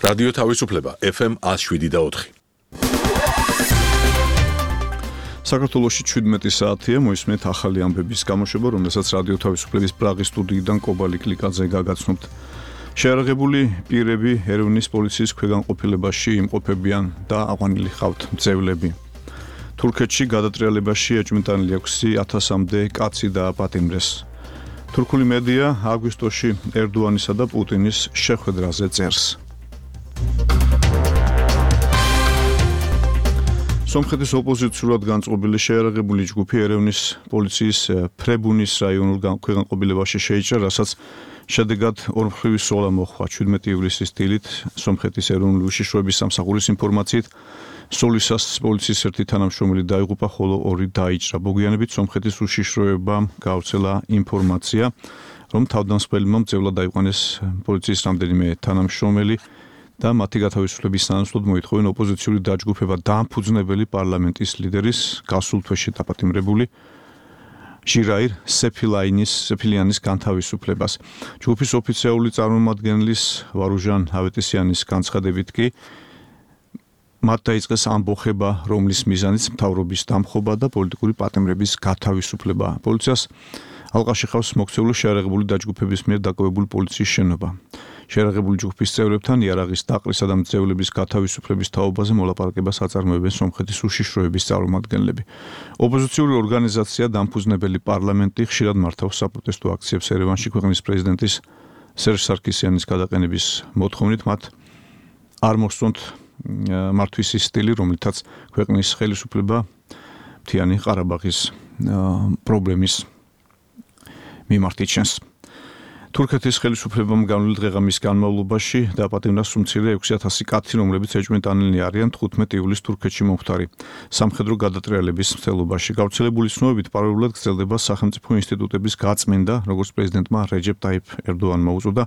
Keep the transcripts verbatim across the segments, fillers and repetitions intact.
რადიო თავისუფლება ეფ ემ one oh seven და four. საქართველოში შვიდმეტი საათია, მოისმენთ ახალი ამბების გამოშვება, რომელსაც რადიო თავისუფლების პრაღის სტუდიიდან კობალი კლიკაძე გაგაცნობთ. შეიარაღებული პირები ერევნის პოლიციის ქვეგანყოფილებაში იმყოფებიან და აყვანილი ხავთ მძევლები. თურქეთში გადატრიალებაში ეჭვმიტანილი ექვსი ათასამდე კაცი დააპატიმრეს. თურქული მედია აგვისტოში ერდოანისა და პუტინის შეხვედრაზე წერს. სომხეთის ოპოზიციურად განწყობილი შეიარაღებული ჯგუფი ერევნის პოლიციის ფრებუნის რაიონულ ქვეგანყოფილებაში შეიჭრა, რასაც შედეგად ორმხრივი სოლა მოხდა. შვიდმეტი ივლისის დილით სომხეთის ეროვნული უშიშროების სამსახურის ინფორმაციით სოლისას პოლიციის ერთი თანამშრომელი დაიღუპა, ხოლო ორი დაიჭრა. მოგვიანებით სომხეთის უშიშროებამ გავრცელა ინფორმაცია, რომ თავდამსხმელებმა მძევლად დაიყვანეს პოლიციის რამდენიმე თანამშრომელი და მათი გათავისუფლების სანაცვლოდ მოითხოვენ ოპოზიციური დაჯგუფება დაამფუძნებელი პარლამენტის ლიდერის გასულ თვეში დაპატიმრებული ჟირაირ სეფილაინის სეფილიანის განთავისუფლებას. ჯგუფის ოფიციალური წარმომადგენლის ვარუჟან ავეტისიანის განცხადებით კი მათ დაიწყეს ამბოხება, რომლის მიზანიც მთავრობის დამხობა და პოლიტიკური პატიმრების გათავისუფლება. პოლიციას ალყაში ხავს მოქცეული შეიარაღებული დაჯგუფების მიერ დაკავებული პოლიციის შენობა. შეიარაღებული ჯგუფის წევრებთან იარაღის დაყრისა და მძევლების გათავისუფლების თაობაზე მოლაპარაკებას აწარმოებენ სომხეთის უშიშროების წარმომადგენლები. ოპოზიციური ორგანიზაცია დამფუძნებელი პარლამენტი ხშირად მართავს საპროტესტო აქციებს ერევანში ქვეყნის პრეზიდენტის სერჟ სარქისიანის გადაყენების მოთხოვნით. მათ არ მოსწონთ მართვის ის სტილი, რომლითაც ქვეყნის ხელისუფლება მთიანი ყარაბაღის პრობლემის მიმართ იჩენს. თურქეთის ხელისუფლებამ განვლილ დღეღამის განმავლობაში დააპატიმრა სულ ექვსი ათასი კაცი, რომლებიც ეჭვმიტანილნი არიან თხუთმეტი ივლისს თურქეთში მომხდარი სამხედრო გადატრიალების მცდელობაში. გავრცელებული ცნობებით პარალელურად გრძელდება სახელმწიფო ინსტიტუტების გაწმენდა, როგორც პრეზიდენტმა რეჯეპ ტაიფ ერდოანმა უწოდა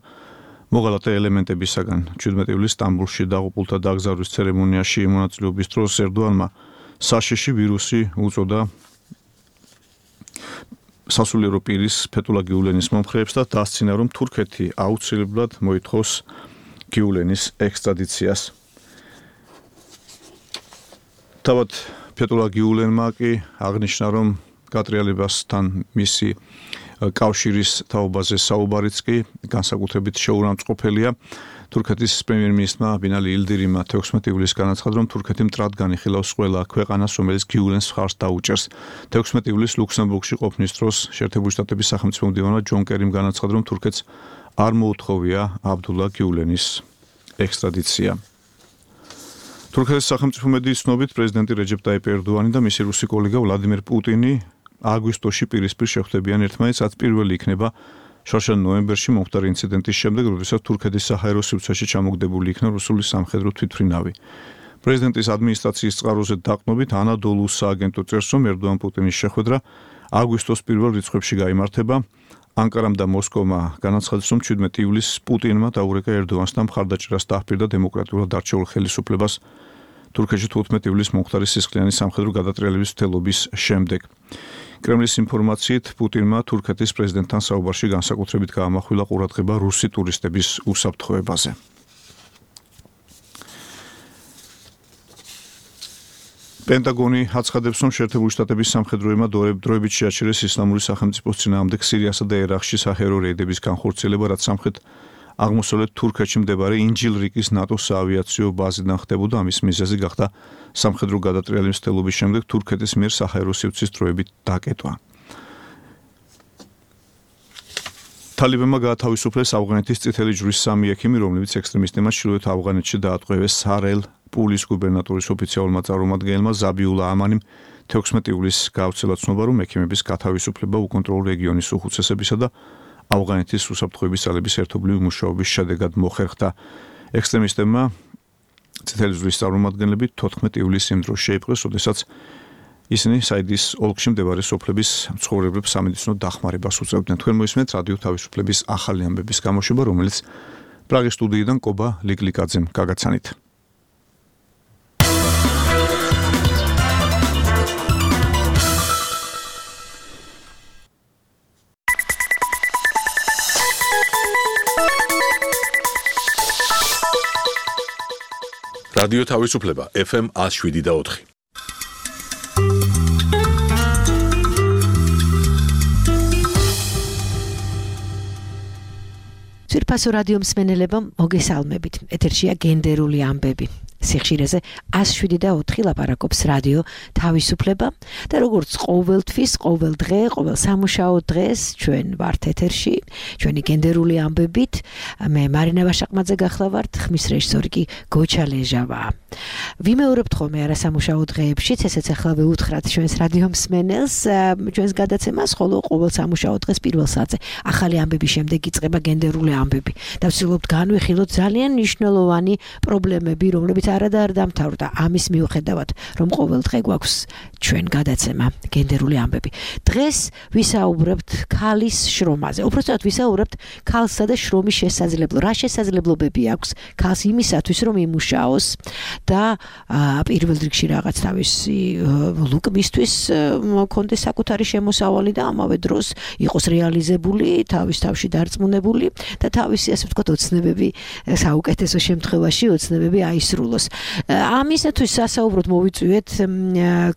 მოღალატე ელემენტებისაგან. შვიდმეტი ივლისს სტამბოლში დაღუპულთა დაკრძალვის ცერემონიაში მონაწილეობის დროს ერდოანმა საშიში ვირუსი უწოდა სასულიერო პირის ფეთულა გიულენის მომხრეებს და დასცინა, რომ თურქეთი აუცილებლად მოითხოვს გიულენის ექსტრადიციას. თავად ფეთულა გიულენმა კი აღნიშნა, რომ გატრიალებასთან მისი კავშირის თაობაზე საუბარიც კი განსაკუთრებით შეურამწყყოფელია. თურქეთის პრემიერ-მინისტრმა ბინალი ილდირიმმა თექვსმეტი ივლისს განაცხადა, რომ თურქეთი მტრად განიხილავს ყველა ქვეყანას, რომელიც გიულენს მხარს დაუჭერს. თექვსმეტი ივლისს ლუქსემბურგში ყოფნის დროს შეერთებული შტატების სახელმწიფო მდივანმა ჯონ კერიმ განაცხადა, რომ თურქეთს არ მოუთხოვია აბდულა გიულენის ექსტრადიცია. თურქეთის სახელმწიფო მედიის ცნობით პრეზიდენტი რეჯეპ ტაიფ ერდოანი და მისი რუსი კოლეგა ვლადიმერ პუტინი აგვისტოში პირისპირ შეხვდებიან ერთმანეთს, რაც პირველი იქნება შორშან ნოემბერში მომხდარი ინციდენტის შემდეგ, როდესაც თურქეთის საჰაერო სივრცეში ჩამოგდებული იქნა რუსული სამხედრო თვითმფრინავი. პრეზიდენტის ადმინისტრაციის წყაროზე დაყრდნობით ანადოლუ სააგენტო წერს, რომ ერდოან პუტინის შეხვედრა აგვისტოს პირველ რიცხვებში გაიმართება. ანკარამ და მოსკოვმა განაცხადეს, რომ შვიდმეტი ივლისს პუტინმა დაურეკა ერდოანს და მხარდაჭერას დაჰპირდა დემოკრატიულად არჩეულ ხელისუფლებას თურქეთში თხუთმეტი ივლისს მომხდარი სისხლიანი სამხედრო გადატრიალების მცდელობის შემდეგ. კრემლის ინფორმაციით პუტინმა თურქეთის პრეზიდენტთან საუბარში განსაკუთრებით გაამახვილა ყურადღება რუსი ტურისტების უსაფრთხოებაზე. პენტაგონი აცხადებს, რომ შეერთებული შტატების სამხედროებმა დროებით შეაჩერეს ისლამური სახელმწიფოს წინააღმდეგ სირიასა და ერაყში საჰაერო რეიდების განხორციელება, რაც სამხრეთ აღმოსავლეთ თურქეთში მდებარე ინჯილრიკის ნატოს საავიაციო ბაზიდან ხდებოდა. ამის მიზეზი გახდა სამხედრო გადატრიალების მცდელობის შემდეგ თურქეთის მიერ საჰაერო სივრცის დროებით დაკეტვა. თალიბანმა გაათავისუფლეს ავღანეთის წითელი ჯვრის სამი ექიმი, რომლებიც ექსტრემისტებმა ჩრდილოეთ ავღანეთში დაატყვევეს. სარელ პულის გუბერნატორის ოფიციალურმა წარმომადგენელმა ზაბიულა ამანიმ თექვსმეტი ივლისს გაავრცელა ცნობა, რომ ექიმების გათავისუფლება უკონტროლო რეგიონის უხუცესებისა და ავღანეთის უსაფრთხოების ძალების ერთობლივი მუშაობის შედეგად მოხერხდა. ექსტრემისტებმა წითელი ჯვრის წარმომადგენლები თოთხმეტი ივლისს იმ დროს შეიპყრეს, როდესაც ისინი საიდის ოლქში მდებარე სოფლების მცხოვრებლებს სამედიცინო დახმარებას უწევდნენ. თქვენ მოისმენთ რადიო თავისუფლების ახალი ამბების გამოშვება, რომელიც პრაღის სტუდიიდან კობა ლიკლიკაძემ გაგაცანით. რადიო თავისუფლება ეფ ემ one oh seven და four. ძვირფასო რადიო მსმენელებო, მოგესალმებით. ეთერშია გენდერული ამბები. სიხშირეზე one oh seven და four ლაპარაკობს რადიო თავისუფლება და როგორც ყოველთვის, ყოველ დღე, ყოველ სამუშაო დღეს ჩვენ ვართ ეთერში, ჩვენი გენდერული ამბებით. მე მარინა ვაშაყმაძე გახლავართ, ხმის რეჟისორი კი გოჩა ლეჟავაა. ვიმეორებთ ხოლმე არასამუშაო დღეებშიც, ესეც ახლა ვეუთხრათ ჩვენს რადიო მსმენელს, ჩვენს გადაცემას, ხოლო ყოველ სამუშაო დღეს პირველ საათზე ახალი ამბების შემდეგ იწყება გენდერული ამბები. და ვცდილობთ განვიხილოთ ძალიან მნიშვნელოვანი პრობლემები, რომლებიც არადა არ დამთავრდა ამის მიუხედავად, რომ ყოველ დღე გვაქვს ჩვენ გადაცემა გენდერული ამბები. დღეს ვისაუბრებთ ქალის შრომაზე. უბრალოდ ვისაუბრებთ ქალსა და შრომის შესაძლებლობაზე. რა შესაძლებლობები აქვს ქალს იმისათვის, რომ იმუშაოს და პირველ რიგში რაღაც თავისი ლუკმისთვის მქონდეს საკუთარი შემოსავალი და ამავე დროს იყოს რეალიზებული, თავის თავში დარწმუნებული და თავისი ასე ვთქვათ ოცნებები საუკეთესო შემთხვევაში ოცნებები აისრულოს. ამისათვის სასაუბროდ მოვიწვიეთ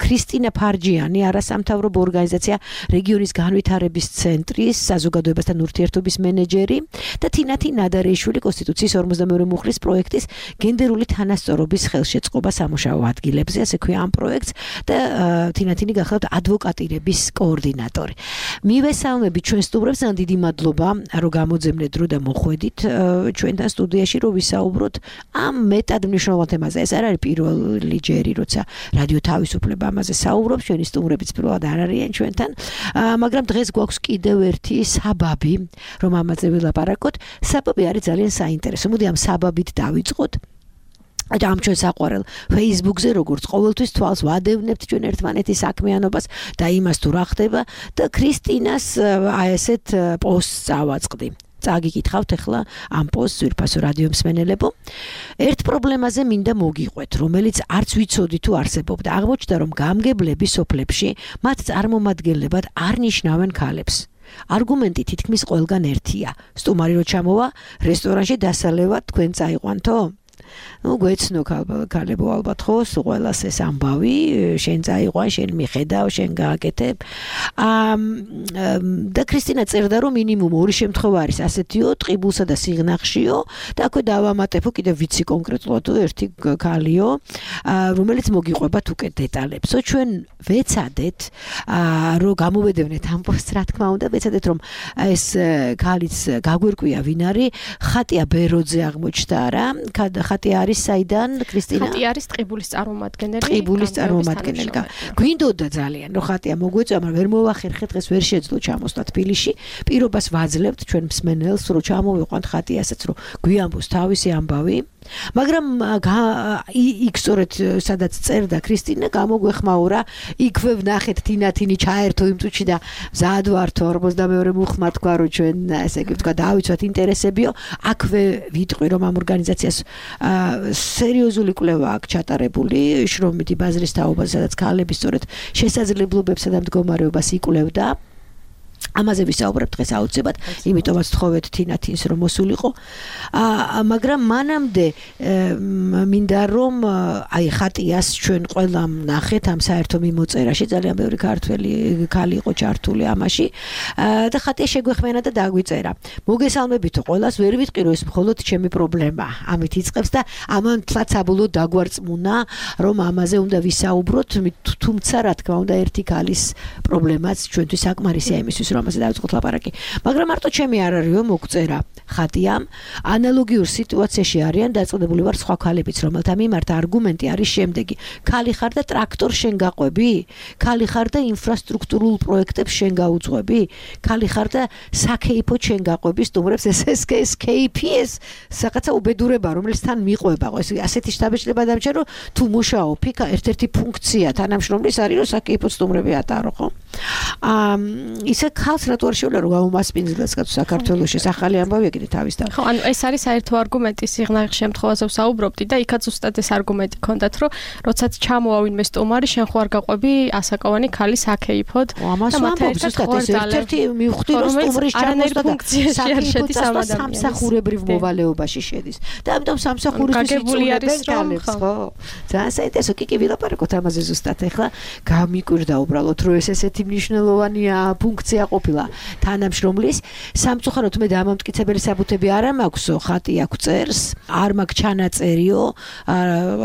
ქრისტინა ფარჯიანი, არასამთავრობო ორგანიზაცია რეგიონის განვითარების ცენტრის საზოგადოებასთან ურთიერთობის მენეჯერი და თინათი ნადარეიშვილი კონსტიტუციის ორმოცდამეორე მუხლის პროექტის გენდერული თანასწორობის ხელშეწყობა სამუშაო ადგილებზე, ასე ქვია ამ პროექტს და თინათინი გახლავთ ადვოკატირების კოორდინატორი. მივესალმებით ჩვენ სტუმრებს, ძალიან დიდი მადლობა, რომ გამოძებნეთ დრო და მოხვედით ჩვენთან სტუდიაში, რომ ვისაუბროთ ამ მეტად მნიშვნელოვან თემაზე. ეს არ არის პირველი ჯერი, როცა რადიო თავისუფლება ამაზე საუბრობს, ჩვენი სტუმრებიც პირველად არ არიან ჩვენთან, მაგრამ დღეს გვაქვს კიდევ ერთი საბაბი, რომ ამაზე ვილაპარაკოთ. საბაბი არის ძალიან საინტერესო. მოდი ამ საბაბით დავიწყოთ. და ამ ჩვენ საყვარელ Facebook-ზე როგორც ყოველთვის თვალს ვადევნებთ ჩვენ ერთმანეთის საქმიანობას და იმას თუ რა ხდება და ქრისტინას აი ესეთ პოსტს ავაწყდი. წაგიკითხავთ ახლა ამ პოსტს ძვირფასო რადიო მსმენელებო. ერთ პრობლემაზე მინდა მოგიყვეთ, რომელიც არც ვიცოდი თუ არსებობდა. აღმოჩნდა, რომ გამგებლები სოფლებში მათ წარმომადგენლებად არ ნიშნავენ ქალებს. არგუმენტი თითქმის ყველგან ერთია. სტუმარი რო ჩამოვა რესტორანში დასალევა თქვენ წაიყვანთო? ну გვეცნო ქალებო ალბათ ხო, ყველას ეს ამბავი, შენ წაიყვან, შენ მიხედავ, შენ გააკეთებ. და ქრისტინა წერდა, რომ მინიმუმ ორი შემთხვევა არის ასეთიო, ტყიბულსა და სიღნაღშიო და აქვე დავამატებო კიდევ ვიცი კონკრეტულად ერთი ქალიო, რომელიც მოგიყვებათ უკვე დეტალებსო. ჩვენ ვეცადეთ, რომ გამოვედევნეთ ამ პოსტს, რა თქმა უნდა, ვეცადეთ, რომ ეს ქალიც გაგვერკვია ვინ არის. ხატია ბეროძე აღმოჩნდა რა, ხატია არის საიდან ქრისტინა? ხატია არის ტყიბულის წარმომადგენელი. ტყიბულის წარმომადგენელი. გვინდოდა ძალიან, რომ ხატია მოგვეწვა, მაგრამ ვერ მოვახერხეთ, დღეს ვერ შეძლო ჩამოსვლა თბილისში. პირობას ვაძლევთ ჩვენ მსმენელს, რომ ჩამოვიყვანთ ხატიასაც, რომ გვიამბოს თავისი ამბავი. მაგრამ იქ სწორედ სადაც წერდა ქრისტინა, გამოგვეხმაურა, იქვე ვნახეთ თინათინი ჩაერთო იმ წუთში და მზად ვართო ორმოცდამეორე მუხლმა თქვა, რომ ჩვენ ესე იგი ვთქვა დავიცვათ ინტერესებიო. აქვე ვიტყვი, რომ ამ ორგანიზაციას სერიოზული კვლევა აქვს ჩატარებული შრომითი ბაზრის თაობაზე, სადაც ქალების სწორედ შესაძლებლობებსა და მდგომარეობას იკვლევდა. ამაზე ვისაუბრებთ დღეს აუცილებლად, იმიტომაც თხოვეთ თინათინს რომ მოსულიყო. მაგრამ მანამდე მინდა რომ აი ხატიას ჩვენ ყველამ ნახეთ ამ საერთო მიმოწერაში, ძალიან ბევრი ქართველი ქალი იყო ჩართული ამაში და ხატია შეგვეხმენა და დაგვიწერა. მოგესალმებითო ყველას, ვერ ვიტყვი რომ ეს მხოლოდ ჩემი პრობლემა ამით იწყებს და ამან თლაც საბოლოოდ დაგვარწმუნა, რომ ამაზე უნდა ვისაუბროთ, თუმცა რა თქმა უნდა ერთი ქალის პრობლემაც ჩვენთვის საკმარისია იმისთვის, რომ ამაზე დავიწყოთ ლაპარაკი. მაგრამ მარტო ჩემი არ არისო მოგწერა ხატიამ, ანალოგიურ სიტუაციაში არიან დაწყებული ვარ სხვა ქალებიც, რომელთა მიმართ არგუმენტი არის შემდეგი: ქალი ხარ და ტრაქტორ შენ გაყვები? ქალი ხარ და ინფრასტრუქტურულ პროექტებს შენ გაუძღვები? ქალი ხარ და საქეიფო შენ გაყვები სტუმრებს? ეს ეს ეს კეიპიეს საკაცა უბედურება, რომელიც თან მიყვება. ეს ასეთი შთაბეჭდება დამჭერ, რომ თუ მუშაობ, იქ ერთ-ერთი ფუნქცია თანამშრომლის არის, რომ საქეიფო სტუმრები ატარო, ხო? აა ისე ხალხს რატო არ შეუძლია რომ გამომასპინძლოს კაცო საქართველოში ახალი ამბავი ეგრე თავის და ხო ანუ ეს არის საერთო არგუმენტი სიღნაღის შემთხვევაზე ვსაუბრობდი და იქაც უბრალოდ ეს არგუმენტი ქონდათ რომ როდესაც ჩამოვა ვინმე სტუმარი შენ ხო არ გაყვები ასაკოვანი ქალის აკეიფოდ და მათ ერთად ერთ-ერთი მივხვდი რომ სტუმრის ჩამოსვლა საკეიფოდ სამსახურებრივ მოვალეობაში შედის და ამიტომ სამსახურისთვის იწურებენ ქალებს ხო ძალიან საინტერესო კი კი ვილაპარაკოთ ამაზე ზუსტად ახლა გამიკვირდა უბრალოდ რომ ეს ესეთი მნიშვნელოვანი ფუნქცია ყოფილა თანამშრომლის სამწუხაროდ მე დამამტკიცებელი საბუთები არ მაქვსო ხატი აქვს წერს არ მაქვს ჩანაწერიო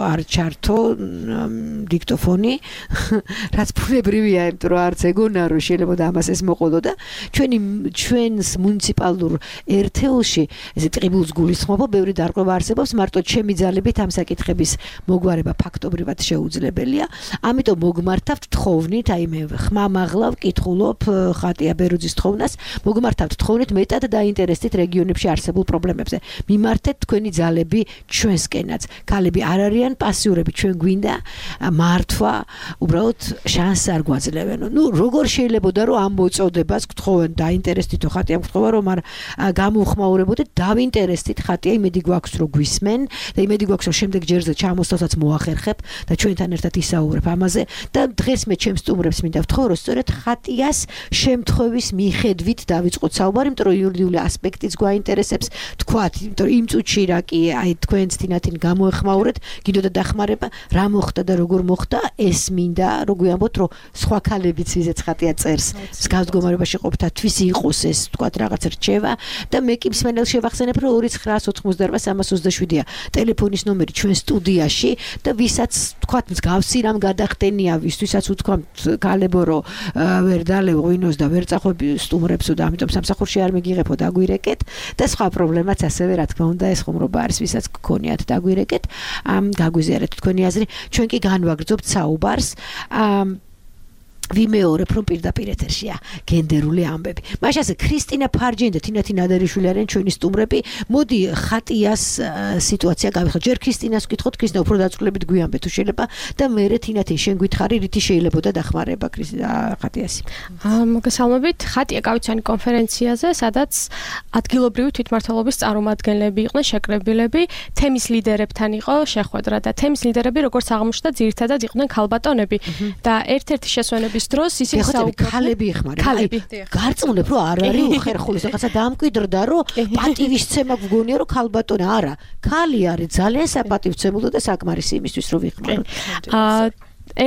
არ ჩართო დიქტოფონი რაც ბუნებრივია იმიტომ რომ არც ეგონა რომ შეიძლება ამას ეს მოყოლო და ჩვენი ჩვენს მუნიციპალურ ერთეულში ესე ტყიბულს გულისხმობა ბევრი დარღვევა არსებობს მარტო ჩემი ძალებით ამ საკითხების მოგვარება ფაქტობრივად შეუძლებელია ამიტომ მოგმართავთ თხოვნით აი მე ხმამაღლა ვკითხულობ ხატია ბერუძის თხოვნას მოგმართავთ თხოვნით მეტად დაინტერესდით რეგიონებში არსებულ პრობლემებზე მიმართეთ თქვენი ძალები ჩვენსკენაც ქალები არ არიან პასიურები ჩვენ გვინდა მართვა უბრალოდ შანსს არ გვაძლევენ ნუ როგორ შეიძლებოდა რომ ამ მოწოდებას გთხოვენ დაინტერესდითო ხატია გთხოვა რომ არ გამოუხმაურებოდეთ დავინტერესდით ხატია იმედი გვაქვს რომ გვისმენ და იმედი გვაქვს რომ შემდეგ ჯერზე ჩამოსვლასაც მოახერხებ და ჩვენთან ერთად ისაუბრებ ამაზე და დღეს მე ჩემს სტუმრებს მინდა ვთხოვო რომ სწორედ ხატიას შემთხვევის მიხედვით დავიწყოთ საუბარი იმიტომ რომ იურიდიული ასპექტიც გვაინტერესებს თქვათ იმიტომ რომ იმ წუთში რა კი აი თქვენც თინათინ გამოეხმაურეთ გინდოდა დახმარება რა მოხდა და როგორ მოხდა ეს მინდა რომ გვიამბოთ რომ სხვა ქალებიც ვიზეც ხატია წერს მსგავს მდგომარეობაში ყოფთათვის იყოს ეს თქვათ რაღაც რჩევა და მე კი მსმენელს შევახსენებ რომ ორი ცხრა ოცდაოთხმოცდაოთხ სამას ოცდაშვიდია ტელეფონის ნომერი ჩვენ სტუდიაში და ვისაც თქვათ მსგავსი რამ გადახდენია ვისთვისაც უთქვამთ ქალებო რომ ვერ დალევ ღვინოს და ვერ წახვები სტუმრებსო და ამიტომ სამსახურში არ მიგიღებო დაგვირეკეთ და სხვა პრობლემაც ასევე რა თქმა უნდა ეს ხუმრობა არის ვისაც გქონიათ დაგვირეკეთ ამ გაგვიზიარეთ თქვენი აზრი ჩვენ კი განვაგრძობთ საუბარს ვიმეორებ რომ პირდაპირ ეთერშია გენდერული ამბები. მაშინ ასე ქრისტინა ფარჯენი და თინათი ნადერიშვილი არიან ჩვენი სტუმრები. მოდი ხატიას სიტუაცია გავიხსენოთ. ჯერ ქრისტინას ვკითხოთ, ქრისტინა უფრო დაწვრილებით გვიამბე თუ შეიძლება და მერე თინათი შენ გითხარი რითი შეიძლებოდა დახმარება ხატიასი. მოგესალმებით. ხატია გავიცანი კონფერენციაზე, სადაც ადგილობრივი თვითმმართველობის წარმომადგენლები იყვნენ შეკრებილები, თემის ლიდერებთან იყო შეხვედრა და თემის ლიდერები როგორც აღმოჩნდა ძირითადად იყვნენ ქალბატონები და ერთ-ერთი შესვენების დროს ისინი საუბრობდნენ ქალები ეხმარება. გარწმუნებ რომ არ არის უხერხული, რაღაცა დამკვიდრდა რომ პატივისცემა გგონია რომ ქალბატონი არა, ქალი არის ძალიან საპატივცემულო და საკმარისი იმისთვის რომ ვიხმაროთ.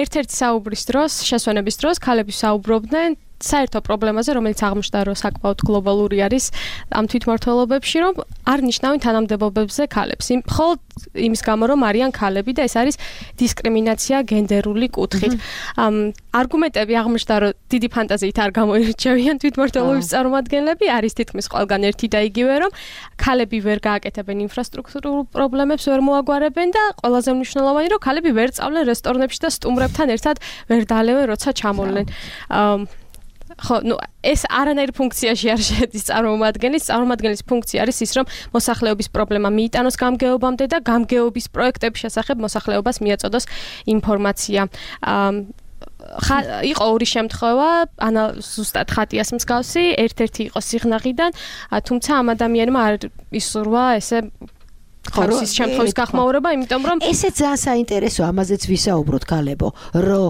ერთ-ერთი საუბრის დროს, შესვენების დროს ქალები საუბრობდნენ საერთო პრობლემაზე, რომელიც აღმოჩნდა, რომ საკმაოდ გლობალური არის ამ თვითმმართველობებში, რომ არ ნიშნავენ თანამდებობებზე ქალებს. მხოლოდ იმის გამო, რომ არიან ქალები და ეს არის დისკრიმინაცია გენდერული კუთხით. არგუმენტები აღმოჩნდა, რომ დიდი ფანტაზიით არ გამოირჩევიან თვითმმართველობის წარმომადგენლები, არის თითქმის ყველგან ერთი და იგივე, რომ ქალები ვერ გააკეთებენ ინფრასტრუქტურულ პრობლემებს, ვერ მოაგვარებენ და ყველაზე მნიშვნელოვანი, რომ ქალები ვერ წავლენ რესტორნებში და სტუმრებთან ერთად ვერ დალევენ, როცა ჩამოვლენ. ხო, ну, ეს არანაირ ფუნქციაში არ შედის წარმომადგენლის, წარმომადგენლის ფუნქცია არის ის, რომ მოსახლეობის პრობლემა მიიტანოს გამგეობამდე და გამგეობის პროექტების შესახებ მოსახლეობას მიაწოდოს ინფორმაცია. იყო ორი შემთხვევა, ანა ზუსტად ხატიას მსგავსი, ერთ-ერთი იყო სიღნაღიდან, თუმცა ამ ადამიანმა არ ისურვა ესე ხარისის შემთხვევის გახმაურება, იმიტომ რომ ესეც ძალიან საინტერესო, ამაზეც ვისაუბროთ ქალებო, რომ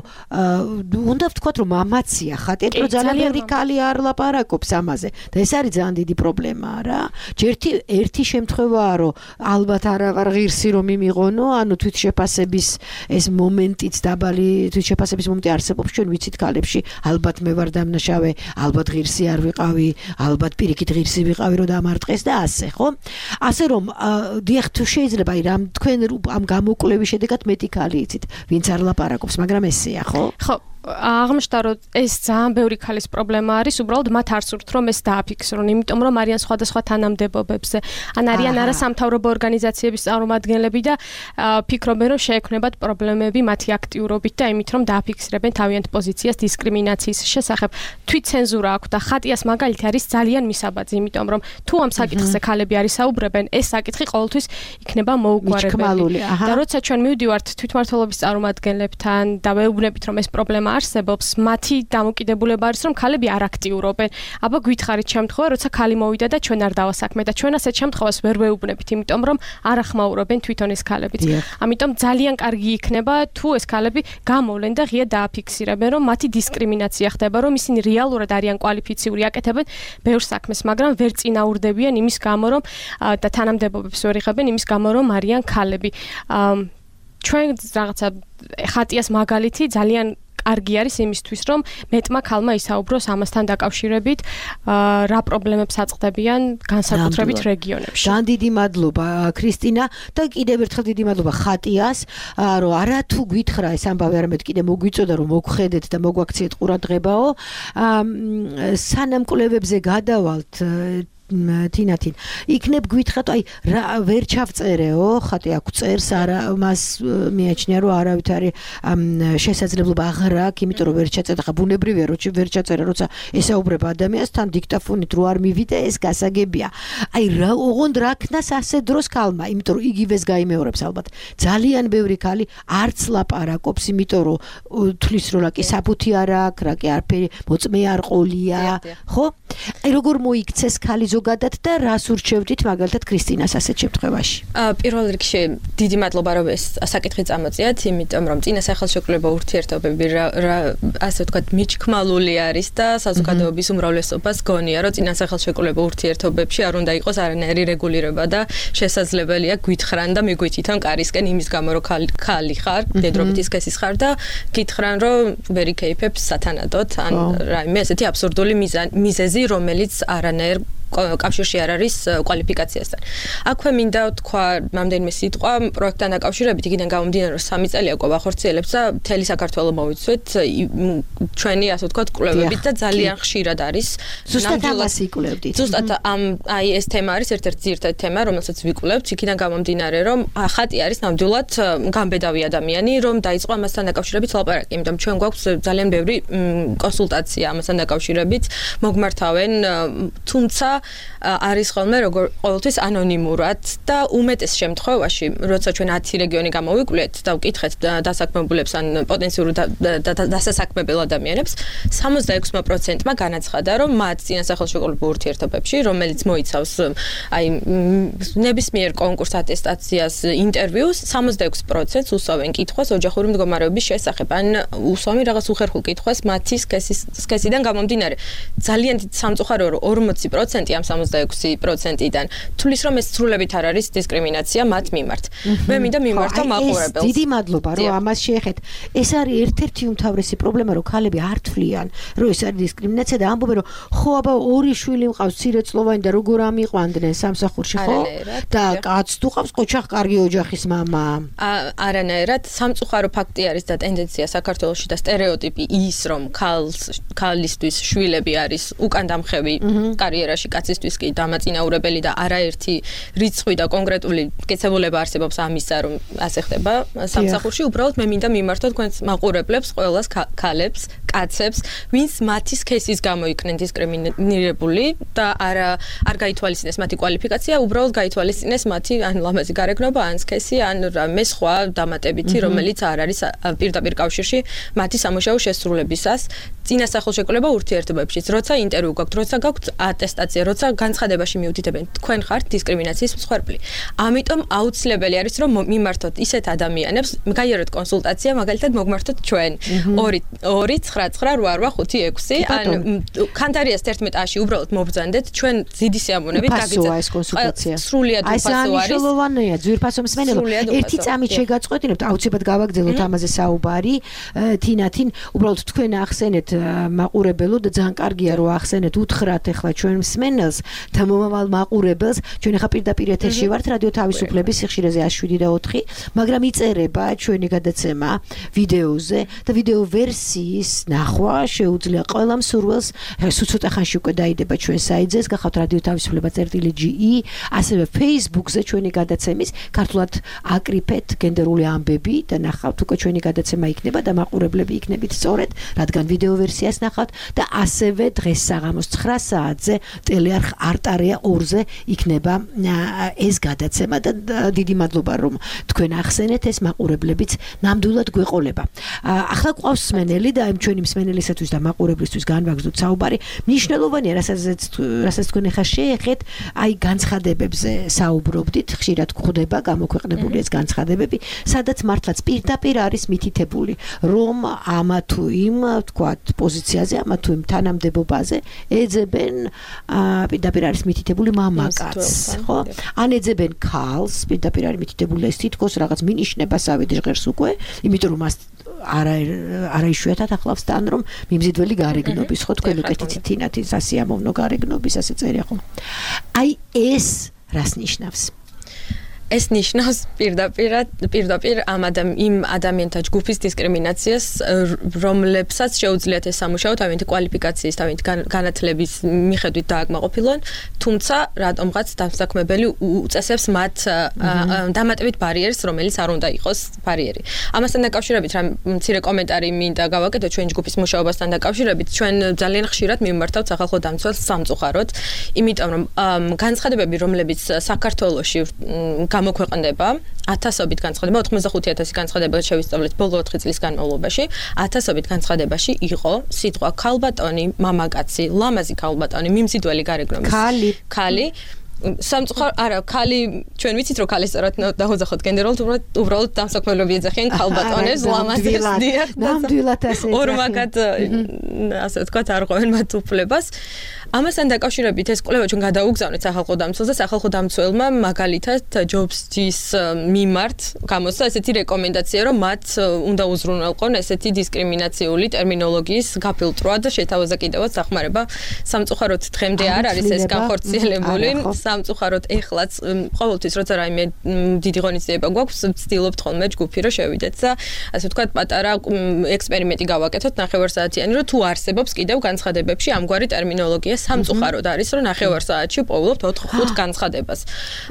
უნდა ვთქვათ, რომ ამაცია ხატია, რომ ძალიან ბევრი ქალი არ ლაპარაკობს ამაზე და ეს არის ძალიან დიდი პრობლემა რა. ჯერთი ერთი შემთხვევაა, რომ ალბათ არავარ ღირსი რომ იმიღონო, ანუ თვითშეფასების ეს მომენტიც დაბალი თვითშეფასების მომენტი არსებობს ჩვენ ვიცით ქალებში, ალბათ მე ვარ დამნაშავე, ალბათ ღირსი არ ვიყავი, ალბათ პირიქით ღირსი ვიყავი რომ დამარტყეს და ასე, ხო? ასე რომ დიახ თუ შეიძლება რამ თქვენ ამ გამოკვლევის შედეგად მეტი ქალი იცით, ვინც არ ლაპარაკობს, მაგრამ ესეა, ხო? ხო, აღმოჩნდა რომ ეს ძალიან ბევრი ქალის პრობლემა არის, უბრალოდ მათ არ სურთ რომ ეს დააფიქსრონ, იმიტომ რომ არიან სხვადასხვა თანამდებობებზე, ან არიან არასამთავრობო ორგანიზაციების წარმომადგენლები და ფიქრობენ რომ შეექმნებათ პრობლემები მათი აქტიურობით და იმით რომ დააფიქსრებენ თავიანთ პოზიციას დისკრიმინაციის შესახებ. თვითცენზურა აქვს და ხატიას მაგალითი არის ძალიან მისაბაძი, იმიტომ რომ თუ ამ საკითხზე ქალები არის საუბრებენ, ეს საკითხი ყოველთვის იქნება მოუგვარებელი. და როცა ჩვენ მივდივართ თვითმმართველობის წარმომადგენლებთან და ვეუბნებით რომ ეს პრობლემა პრობლემა არსებობს, მათი დამოკიდებულება არის, რომ ქალები არ აქტიურობენ. აბა გითხარით შემთხვევა, როცა ქალი მოვიდა და ჩვენ არ დავასაქმეთ და ჩვენ ასეთ შემთხვევას ვერ ვეუბნებით, იმიტომ რომ არ ახმაურობენ თვითონ ეს ქალებიც. ამიტომ ძალიან კარგი იქნება თუ ეს ქალები გამოვლენ და ღია დააფიქსირებენ, რომ მათი დისკრიმინაცია ხდება, რომ ისინი რეალურად არიან კვალიფიციური, აკეთებენ ბევრ საქმეს, მაგრამ ვერ წინაურდებიან იმის გამო, რომ და თანამდებობებს ვერ იღებენ იმის გამო, რომ არიან ქალები. ჩვენ რაღაცა ხატიას მაგალითი ძალიან კარგი არის იმისთვის, რომ მეტმა ქალმა ისაუბროს ამასთან დაკავშირებით, რა პრობლემებს აწყდებიან განსაკუთრებით რეგიონებში. ძალიან დიდი მადლობა ქრისტინა და კიდევ ერთხელ დიდი მადლობა ხატიას, რომ არა თუ გითხრა ეს ამბავი, არამედ კიდე მოგვიწოდა რომ მოგხედეთ და მოგვაქციეთ ყურადღებაო. სანამ კვლევებზე გადავალთ თინათინ იქნებ გვითხრათ აი რა ვერ ჩავწერეო ხატი აქ წერს არა მას მიაჩნია რომ არავით არის შესაძლებლობა აღარ აქვს იმიტომ რომ ვერ ჩაწერდა ხა ბუნებრივია რომ ვერ ჩაწერა როცა ესაუბრება ადამიანს თან დიქტაფონით რო არ მივიდა ეს გასაგებია აი რა ოღონდ რა ქნას ასე დროს ქალმა იმიტომ რომ იგივეს გაიმეორებს ალბათ ძალიან ბევრი ქალი არც ლაპარაკობს იმიტომ რომ თulis რომ რა კი საფუთი არ აქვს რა კი არაფერი მოწმე არ ყოლია ხო აი როგორ მოიქცეს ქალი ზოგადად და რას ურჩევდით მაგალითად ქრისტინას ასეთ შემთხვევაში? პირველ რიგში დიდი მადლობა რომ ეს საკითხი წამოწიათ, იმიტომ რომ წინა სახელმშეკრულება ურთიერთობები რა ასე ვთქვათ მიჩქმალული არის და საზოგადოების უმრავლესობას გონია რომ წინა სახელმშეკრულება ურთიერთობებში არ უნდა იყოს არანაირი რეგულირება და შესაძლებელია გვითხრან და მიგვითითონ კარისკენ იმის გამო რომ ქალი ხარ, მდედრობითი სქესის ხარ და გითხრან რომ ვერ იქეიფებს სათანადოდ ან რაიმე ესეთი აბსურდული მიზეზი რომელიც არანაირ კავშირში არ არის კვალიფიკაციასთან. აქვე მინდა თქვა რამდენიმე სიტყვა პროექტთან დაკავშირებით, იქიდან გამომდინარე რომ სამი წელია ყო ვახორციელებს და მთელი საქართველოს მოვიცვით ჩვენი ასე ვთქვათ კვლევებით და ძალიან ხშირად არის. ზუსტად ამას იკვლევდით. ზუსტად ამ აი ეს თემა არის ერთ-ერთი ძირითადი თემა, რომელსაც ვიკვლევთ, იქიდან გამომდინარე რომ ხატი არის ნამდვილად გამბედავი ადამიანი, რომ დაიწყო ამასთან დაკავშირებით ლაპარაკი, იმიტომ ჩვენ გვაქვს ძალიან ბევრი კონსულტაცია ამასთან დაკავშირებით, მოგმართავენ, თუმცა არის ხოლმე როგორ ყოველთვის ანონიმურად და უმეტეს შემთხვევაში, როცა ჩვენ ათი რეგიონი გამოვიკვლიეთ და ვკითხეთ დასაქმებულებს ან პოტენციურ დასასაქმებელ ადამიანებს, სამოცდაექვსი პროცენტმა განაცხადა, რომ მათ წინასახელშეკრულებულ ურთიერთობებში, რომელიც მოიცავს აი ნებისმიერ კონკურს ატესტაციას, ინტერვიუს, სამოცდაექვსი პროცენტს უსვამენ კითხვას ოჯახური მდგომარეობის შესახებ, ან უსვამენ რაღაც უხერხულ კითხვას მათი სქესიდან გამომდინარე. ძალიან სამწუხაროა რომ ორმოცი პროცენტი ამ სამოცდაექვსი პროცენტიდან თulis რომ ეს სრულებით არ არის დისკრიმინაცია მათ მიმართ. მე მინდა მიმართო მაყურებელს. დიდი მადლობა რომ ამას შეეხეთ. ეს არის ერთ-ერთი უმთავრესი პრობლემა რომ ქალები არ თვლიან რომ ეს არის დისკრიმინაცია და ამბობენ რომ ხო აბა ორი შვილი მყავს ცირეწლოვანი და როგორ ამიყვანდნენ სამსახურში ხო? და კაც თუ ყავს ყოჩახ კარგი ოჯახის მამა. არანაირად სამწუხარო ფაქტი არის და ტენდენცია საქართველოში და სტერეოტიპი ის რომ ქალს ქალისთვის შვილები არის უკან დამხევი კარიერაში კაცისთვის კი დამაწინაურებელი და არაერთი რიცხვი და კონკრეტული კეთებულება არსებობს ამისა რომ ასე ხდება სამსახურში უბრალოდ მე მინდა მიმართო თქვენს მაყურებლებს ყველას ქალებს კაცებს ვინც მათი სქესის გამო იქნენ დისკრიმინირებული და არა არ გაითვალისწინეს მათი კვალიფიკაცია უბრალოდ გაითვალისწინეს მათი ან ლამაზი გარეგნობა ან სქესი ან რამე სხვა დამატებითი რომელიც არ არის პირდაპირ კავშირში მათი სამუშაო შესრულებისას წინა სახელმშეკრულება ურთიერთობებში როცა ინტერვიუ გაქვთ როცა გაქვთ ატესტაცია როცა განცხადებაში მიუთითებენ თქვენ ხართ დისკრიმინაციის მსხვერპლი. ამიტომ აუცილებელი არის რომ მიმართოთ ისეთ ადამიანებს, გაიაროთ კონსულტაცია, მაგალითად მოგმართოთ ჩვენ ორი ორი ცხრა ცხრა რვა რვა ხუთი ექვსი ან კანტარიას თერთმეტ აში უბრალოდ მობრძანდეთ ჩვენ დიდი სიამოვნებით გაგიწერთ ეს კონსულტაცია. სრულიად უფასო არის. აი მნიშვნელოვანია ძვირფასო მსმენელო. ერთი წამით შეგაწყვეტინებთ, აუცილებლად გავაგრძელოთ ამაზე საუბარი. თინათინ უბრალოდ თქვენ ახსენეთ მაყურებელო და ძალიან კარგია რომ ახსენეთ უთხრათ ახლა ჩვენ მსმენელს და მომავალ მაყურებელს ჩვენ ახლა პირდაპირ ეთერში ვართ რადიო თავისუფლების სიხშირეზე one seven four მაგრამ იწერება ჩვენი გადაცემა ვიდეოზე და ვიდეო ვერსიის ნახვა შეუძლია ყველა მსურველს სულ ცოტა ხანში უკვე დაიდება ჩვენ საიტზე გახავთ რადიო თავისუფლება წერტილი ჯი ი ასევე Facebook-ზე ჩვენი გადაცემის ქართულად აკრიფეთ გენდერული ამბები და ნახავთ უკვე ჩვენი გადაცემა იქნება და მაყურებლები იქნებით სწორედ რადგან ვიდეო ვერსიას ნახავთ და ასევე დღეს საღამოს ცხრა საათზე ხელი არ არტარია ორზე იქნება ეს გადაცემა და დიდი მადლობა რომ თქვენ ახსენეთ ეს მაყურებლებიც ნამდვილად გვეყოლება. ახლა ყავს მსმენელი და იმ ჩვენი მსმენელისათვის და მაყურებლისთვის განვაგრძოთ საუბარი. მნიშვნელოვანია, რასაც რასაც თქვენ ახლა შეეხეთ, აი განცხადებებზე საუბრობდით, ხშირად გვხვდება გამოქვეყნებული ეს განცხადებები, სადაც მართლაც პირდაპირ არის მითითებული, რომ ამა თუ იმ, თქვათ, პოზიციაზე, ამა თუ იმ თანამდებობაზე ეძებენ პირდაპირ არის მითითებული მამაკაცს, ხო? ან ეძებენ ქალს, პირდაპირ არის მითითებული ეს თითქოს რაღაც მინიშნებას ავედი ჟღერს უკვე, იმიტომ რომ მას არა არა იშვიათად ახლავს თან რომ მიმზიდველი გარეგნობის, ხო, თქვენ უკეთით თინათი სასიამოვნო გარეგნობის ასე წერია, ხო? აი ეს რას ნიშნავს? ეს ნიშნავს პირდაპირ პირდაპირ ამ ადამ იმ ადამიანთა ჯგუფის დისკრიმინაციას, რომლებსაც შეუძლიათ ეს სამუშაო თავიანთი კვალიფიკაციის, თავიანთი განათლების მიხედვით დააკმაყოფილონ, თუმცა რატომღაც დასაქმებელი უწესებს მათ დამატებით ბარიერს, რომელიც არ უნდა იყოს ბარიერი. ამასთან დაკავშირებით რა მცირე კომენტარი მინდა გავაკეთო ჩვენი ჯგუფის მუშაობასთან დაკავშირებით. ჩვენ ძალიან ხშირად მიმართავთ სახალხო დამცველს სამწუხაროდ, იმიტომ რომ განცხადებები, რომლებიც საქართველოში გამოქვეყნდება ათასობით განცხადება, ოცდახუთი ათასი განცხადება შევისწავლეთ ბოლო ოთხი წლის განმავლობაში, ათასობით განცხადებაში იყო სიტყვა ქალბატონი, მამაკაცი, ლამაზი ქალბატონი, მიმზიდველი გარეგნობის ქალი, ქალი სამწუხარ არა ქალი ჩვენ ვიცით რომ ქალი სწორად დაუძახოთ გენდერულად უბრალოდ დამსაქმებლობი ეძახიან ქალბატონებს ლამაზებს დიახ ნამდვილად ასე ორმაგად ასე ვთქვათ არ ყვევენ მათ უფლებას. ამასთან დაკავშირებით ეს კვლევა ჩვენ გადაუგზავნეთ სახალხო დამცველს და სახალხო დამცველმა მაგალითად ჯობსჯის მიმართ გამოსცა ესეთი რეკომენდაცია რომ მათ უნდა უზრუნველყონ ესეთი დისკრიმინაციული ტერმინოლოგიის გაფილტრვა და შეთავაზა კიდევაც სახმარება. სამწუხაროდ დღემდე არ არის ეს განხორციელებული. სამწუხაროდ ეხლაც ყოველთვის როცა რაიმე დიდი ღონისძიება გვაქვს ვცდილობთ ხოლმე ჯგუფი რომ შევიდეთ და ასე ვთქვათ პატარა ექსპერიმენტი გავაკეთოთ ნახევარსაათიანი რომ თუ არსებობს კიდევ განცხადებებში ამგვარი ტერმინოლოგია სამწუხაროდ არის რომ ნახევარსაათში პოულობთ ოთხ ხუთ განცხადებას.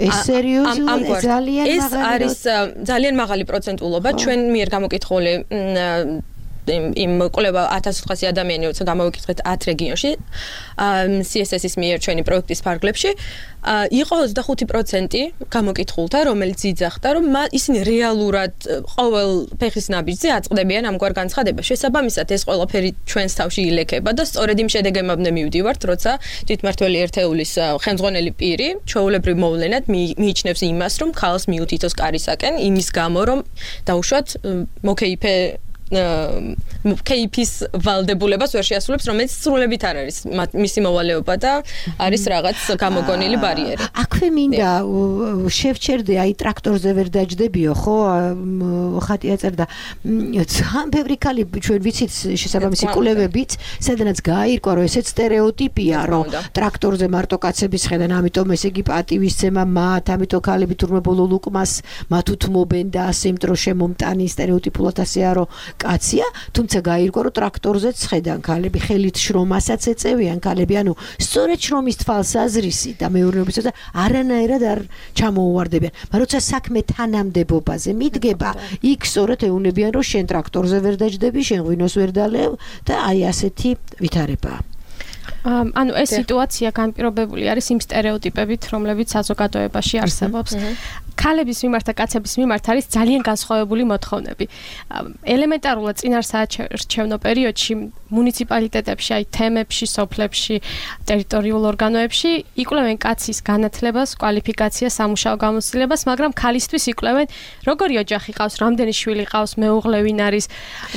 ეს სერიოზულად ძალიან მაღალი ეს არის ძალიან მაღალი პროცენტულობა ჩვენ მიერ გამოკითხული იმ კვლევა ათას ოთხასი ადამიანი როცა გამოვიკითხეთ ათ რეგიონში სი ეს ეს-ის მიერ ჩვენი პროექტის ფარგლებში იყო ოცდახუთი პროცენტი გამოკითხულთა რომელიც იძახდა რომ ისინი რეალურად ყოველ ფეხის ნაბიჯზე აწყდებიან ამგვარ განცხადებას. შესაბამისად ეს ყველაფერი ჩვენს თავში ილექება და სწორედ იმ შედეგებამდე მივდივართ როცა თვითმმართველი ერთეულის ხელმძღვანელი პირი ჩვეულებრივ მოვლენად მიიჩნევს იმას რომ ქალს მიუთითოს კარისაკენ იმის გამო რომ დაუშვათ მოკეიფე კეიფის ვალდებულებას ვერ შეასრულებს, რომელიც სრულებით არ არის მისი მოვალეობა და არის რაღაც გამოგონილი ბარიერი. აქვე მინდა შევჩერდე, აი ტრაქტორზე ვერ დაჯდებიო, ხო? ხატი აწერდა. ძალიან ბევრი ქალი ჩვენ ვიცით შესაბამისი კვლევებით, სადაც გააირკვა, რომ ესეც სტერეოტიპია, რომ ტრაქტორზე მარტო კაცების ხედან, ამიტომ ესე იგი პატივისცემა მათ, ამიტომ ქალები თურმე ბოლო ლუკმას მათ უთმობენ და ასე იმიტომ რომ შემომტანი სტერეოტიპულად ასეა, რომ კაცია, თუმცა გაირკვა რომ ტრაქტორზეც ხედან ქალები, ხელით შრომასაც ეწევიან ქალები, ანუ სწორედ შრომის თვალსაზრისი და მეურნეობისა და არანაირად არ ჩამოუვარდებიან. მაგრამ როცა საქმე თანამდებობაზე მიდგება, იქ სწორედ ეუნებიან რომ შენ ტრაქტორზე ვერ დაჯდები, შენ ღვინოს ვერ დალევ და აი ასეთი ვითარებაა. ანუ ეს სიტუაცია განპირობებული არის იმ სტერეოტიპებით, რომლებიც საზოგადოებაში არსებობს. ქალების მიმართ და კაცების მიმართ არის ძალიან განსხვავებული მოთხოვნები. ელემენტარულად წინარსაარჩევნო პერიოდში მუნიციპალიტეტებში, აი თემებში, სოფლებში, ტერიტორიულ ორგანოებში იკვლევენ კაცის განათლებას, კვალიფიკაციას, სამუშაო გამოცდილებას, მაგრამ ქალისთვის იკვლევენ როგორი ოჯახი ყავს, რამდენი შვილი ყავს, მეუღლე ვინ არის,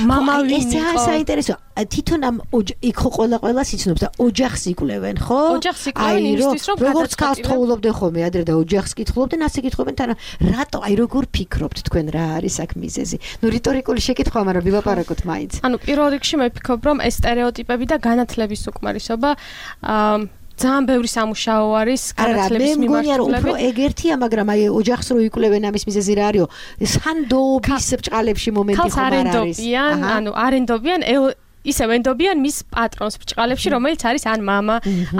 მამა ვინ იყო. ეს საინტერესო. თვითონ ამ იქ ხო ყველა ყველას იცნობს და ოჯახს იკვლევენ, ხო? ოჯახს იკვლევენ იმისთვის, რომ როგორც ქალს თხოვლობდნენ ხოლმე ადრე და ოჯახს კითხულობდნენ, ასე კითხულობენ თან რატო აი როგორ ფიქრობთ თქვენ რა არის აქ მიზეზი? ნუ რიტორიკული შეკითხვა, მაგრამ ვილაპარაკოთ მაინც. ანუ პირველ რიგში მე ვფიქრობ, რომ ეს სტერეოტიპები და განათლების უკმარისობა აა ძალიან ბევრი სამუშაო არის განათლების მიმართულებით. მე მგონია რომ უფრო ეგერთია, მაგრამ აი ოჯახს რო იკვლევენ ამის მიზეზი რა არისო? სანდობის ბჭყალებში მომენტი ხომ არ არის. ანუ არენდობიან ისევ ენდობიან მის პატრონს ბჭყალებში, რომელიც არის ან მამა,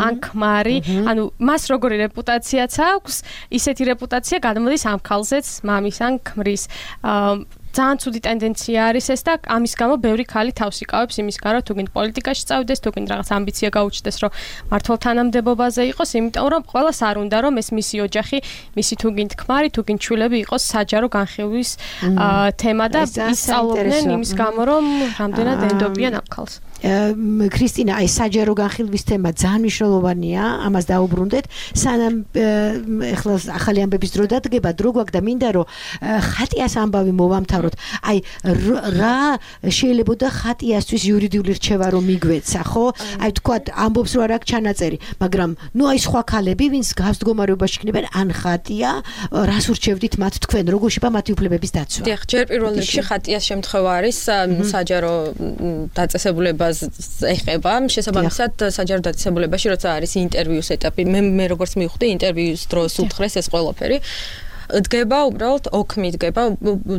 ან ქმარი, ანუ მას როგორი რეპუტაციაც აქვს, ისეთი რეპუტაცია გადმოდის ამ ქალზეც, მამის ან ქმრის. ძალიან ცუდი ტენდენცია არის ეს და ამის გამო ბევრი ქალი თავს იკავებს იმისგან რომ თუ გინდ პოლიტიკაში წავიდეს, თუ გინდ რაღაც ამბიცია გაუჩნდეს, რომ მართლ თანამდებობაზე იყოს, იმიტომ რომ ყველას არ უნდა რომ ეს მისი ოჯახი, მისი თუ გინდ ქმარი, თუ გინდ შვილები იყოს საჯარო განხილვის თემა და ისწავლობდნენ იმის გამო რომ რამდენად ენდობიან ამ ქალს. ქრისტინა, აი საჯარო განხილვის თემა ძალიან მნიშვნელოვანია, ამას დაუბრუნდეთ. სანამ ეხლა ახალი ამბების დრო დადგება, დრო გვაქვს და მინდა რომ ხატიას ამბავი მოვამთავროთ. აი რა შეიძლებოდა ხატიასთვის იურიდიული რჩევა რომ მიგვეცა, ხო? აი თქვათ ამბობს რომ არ აქვს ჩანაწერი, მაგრამ ნუ აი სხვა ქალები, ვინც გავს მდგომარეობაში იქნებიან, ან ხატია, რას ურჩევდით მათ თქვენ, როგორ შეება მათი უფლებების დაცვა? დიახ, ჯერ პირველ რიგში ხატიას შემთხვევა არის საჯარო დაწესებულება ეხება შესაბამისად საჯარო დაწესებულებაში როცა არის ინტერვიუს ეტაპი მე მე როგორც მივხვდი ინტერვიუს დროს უთხრეს ეს ყველაფერი დგება უბრალოდ ოქმი დგება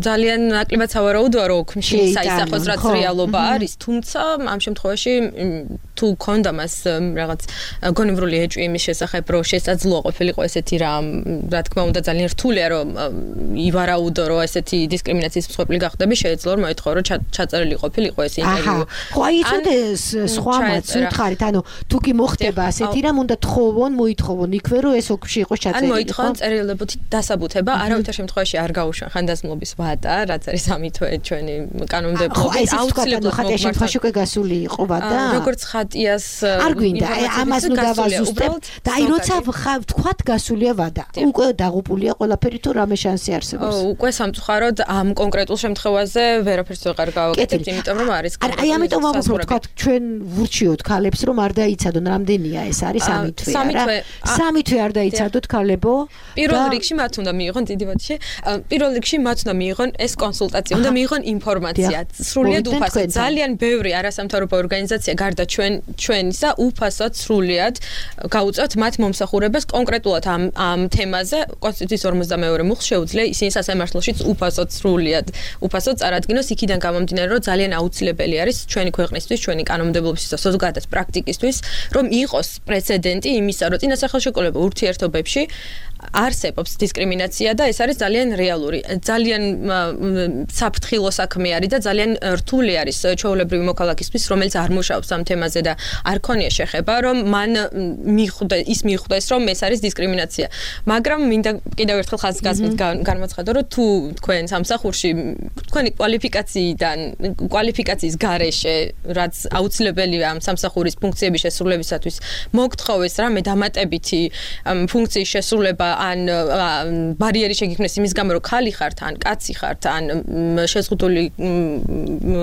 ძალიან ნაკლებად სავარაუდოა რომ ოქმში საისახოს რაც რეალობა არის თუმცა ამ შემთხვევაში თუ ქონდა მას რაღაც გონივრული ეჭვი იმის შესახებ რომ შესაძლოა ყოფილიყო ესეთი რამ რა თქმა უნდა ძალიან რთულია რომ ივარაუდო რომ ესეთი დისკრიმინაციის მსხვერპლი გახდები შეეძლო რომ მოითხოვო რომ ჩაწერილი ყოფილიყო ეს ინტერვიუ ხო აი იცოდე სხვამაც ვითხარით ანუ თუ კი მოხდება ასეთი რამ უნდა თხოვონ მოითხოვონ იქვე რომ ეს ოქმში იყოს ჩაწერილი ან მოითხოვონ წერილებითი დასაბუთება არავითარ შემთხვევაში არ გაუშვან ხანდაზმულობის ვადა რაც არის ამი თვე ჩვენი კანონმდებლობით აუცილებლად ხატია შემთხვევაში უკვე გასული იყო ვადა როგორც ხატიას არ გვინდა ამას ნუ დავაზუსტებ და აი როცა ვთქვათ გასულია ვადა უკვე დაღუპულია ყველაფერი თუ რამე შანსი არსებობს უკვე სამწუხაროდ ამ კონკრეტულ შემთხვევაზე ვერაფერს ვეღარ გავაკეთებთ იმიტომ რომ არის აი ამიტომ ვამბობ თქვათ ჩვენ ვურჩიოთ ქალებს რომ არ დაიცადონ რამდენია ეს არის სამი თვე არა სამი თვე არ დაიცადოთ ქალებო პირველ რიგში მათ უნდა მიიღონ დიდი ბოდიში პირველ რიგში მათ უნდა მიიღონ ეს კონსულტაცია უნდა მიიღონ ინფორმაცია სრულიად უფასოდ ძალიან ბევრი არასამთავრობო ორგანიზაცია გარდა ჩვენ ჩვენისა უფასოდ სრულიად გაუწევთ მათ მომსახურებას კონკრეტულად ამ ამ თემაზე კონსტიტუციის ორმოცდამეორე მუხლს შეუძლია ისინი სასამართლოშიც უფასოდ სრულიად უფასოდ წარადგინოს იქიდან გამომდინარე რომ ძალიან აუცილებელი არის ჩვენი ქვეყნისთვის ჩვენი კანონმდებლობისთვის და ზოგადად პრაქტიკისთვის რომ იყოს პრეცედენტი იმისა რომ წინასახელშეკრულება ურთიერთობებში არსებობს დისკრიმინაცია და ეს არის ძალიან რეალური. ძალიან საფრთხილო საქმე არის და ძალიან რთული არის ჩვეულებრივი მოქალაქისთვის, რომელიც არ მუშაობს ამ თემაზე და არ ქონია შეხება, რომ მან მიხვდა ის მიხვდეს, რომ ეს არის დისკრიმინაცია. მაგრამ მინდა კიდევ ერთხელ ხაზგასმით განმოცხადო, რომ თუ თქვენ სამსახურში თქვენი კვალიფიკაციიდან, კვალიფიკაციის გარეშე, რაც აუცილებელია ამ სამსახურის ფუნქციების შესრულებისათვის, მოგთხოვეს რამე დამატებითი ფუნქციის შესრულება ან ბარიერი შეგიქმნეს იმის გამო რომ ხალი ხართ ან კაცი ხართ ან შეზღუდული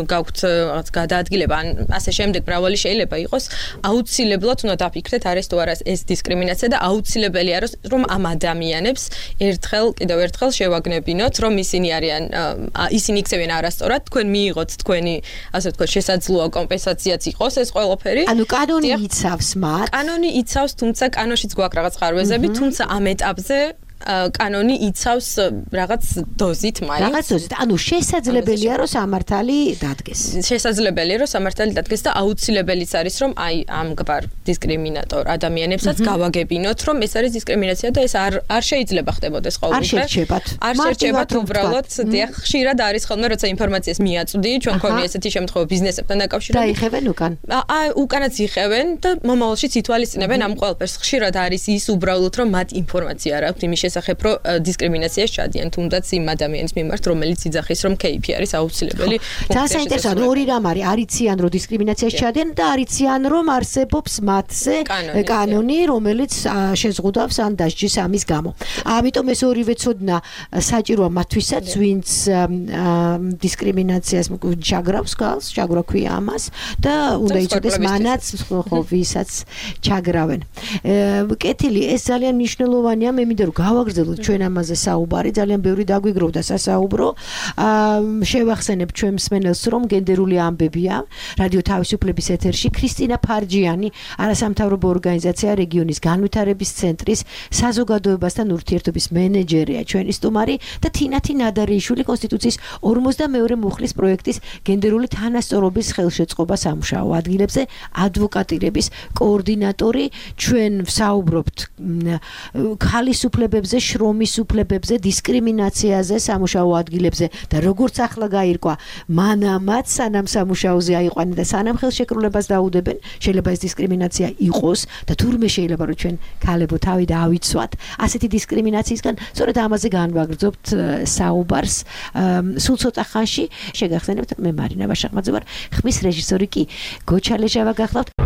გაქვთ რაღაც გადაადგილება ან ასე შემდეგ მრავალი შეიძლება იყოს აუცილებლად უნდა დაფიქრდეთ არის თუ არა ეს დისკრიმინაცია და აუცილებელია რომ ამ ადამიანებს ერთხელ კიდევ ერთხელ შევაგნებინოთ რომ ისინი არიან ისინი იქცევიან არასწორად თქვენ მიიღოთ თქვენი ასე ვთქვათ შესაძლოა კომპენსაციაც იყოს ეს ყველაფერი ანუ კანონი იცავს მათ კანონი იცავს თუმცა კანონშიც გვაქვს რაღაც ხარვეზები თუმცა ამ ეტაპზე კანონი იცავს რაღაც დოზით მაინც. რაღაც დოზით. ანუ შესაძლებელია რომ სამართალი დადგეს. შესაძლებელია რომ სამართალი დადგეს და აუცილებელიც არის რომ აი ამგვარ დისკრიმინატორ ადამიანებსაც გავაგებინოთ რომ ეს არის დისკრიმინაცია და ეს არ არ შეიძლება ხდებოდეს ყოველდღე. არ შერჩებათ. არ შერჩებათ უბრალოდ დიახ ხშირად არის ხოლმე როცა ინფორმაციას მიაწვდი ჩვენ ქონია ესეთი შემთხვევა ბიზნესებთან დაკავშირებით. დაიხევენ უკან. აი უკანაც იხევენ და მომავალშიც ითვალისწინებენ ამ ყველაფერს. ხშირად არის ის უბრალოდ რომ მათ ინფორმაცია არ აქვს იმის შესახებ რომ დისკრიმინაციას ჩადიან თუნდაც იმ ადამიანის მიმართ რომელიც იძახის რომ კეიფი არის აუცილებელი ძალიან საინტერესოა ორი რამ არის არიციან რომ დისკრიმინაციას ჩადიან და არიციან რომ არსებობს მათზე კანონი რომელიც შეზღუდავს ან დასჯის ამის გამო ამიტომ ეს ორივე ცოდნა საჭიროა მათთვისაც ვინც დისკრიმინაციას ჩაგრავს გალს ჩაგრა ქვია ამას და უნდა იცოდეს მანაც ხო ვისაც ჩაგრავენ კეთილი ეს ძალიან მნიშვნელოვანია მე მინდა რომ გავაგრძელოთ ჩვენ ამაზე საუბარი ძალიან ბევრი დაგვიგროვდა სასაუბრო შევახსენებ ჩვენ მსმენელს რომ გენდერული ამბებია რადიო თავისუფლების ეთერში ქრისტინა ფარჯიანი არასამთავრობო ორგანიზაცია რეგიონის განვითარების ცენტრის საზოგადოებასთან ურთიერთობის მენეჯერია ჩვენი სტუმარი და თინათი ნადარიშვილი კონსტიტუციის ორმოცდამეორე მუხლის პროექტის გენდერული თანასწორობის ხელშეწყობა სამუშაო ადგილებზე ადვოკატირების კოორდინატორი ჩვენ ვსაუბრობთ ქალის უფლებებზე უფლებებზე, შრომის უფლებებზე, დისკრიმინაციაზე სამუშაო ადგილებზე და როგორც ახლა გაირკვა, მანამაც სანამ სამუშაოზე აიყვანენ და სანამ ხელშეკრულებას დაუდებენ, შეიძლება ეს დისკრიმინაცია იყოს და თურმე შეიძლება რომ ჩვენ ქალებო თავი დაავიცვათ ასეთი დისკრიმინაციისგან, სწორედ ამაზე განვაგრძობთ საუბარს სულ ცოტა ხანში. შეგახსენებთ, მე მარინა ვაშახმაძე ვარ, ხმის რეჟისორი კი გოჩალეჟავა გახლავთ.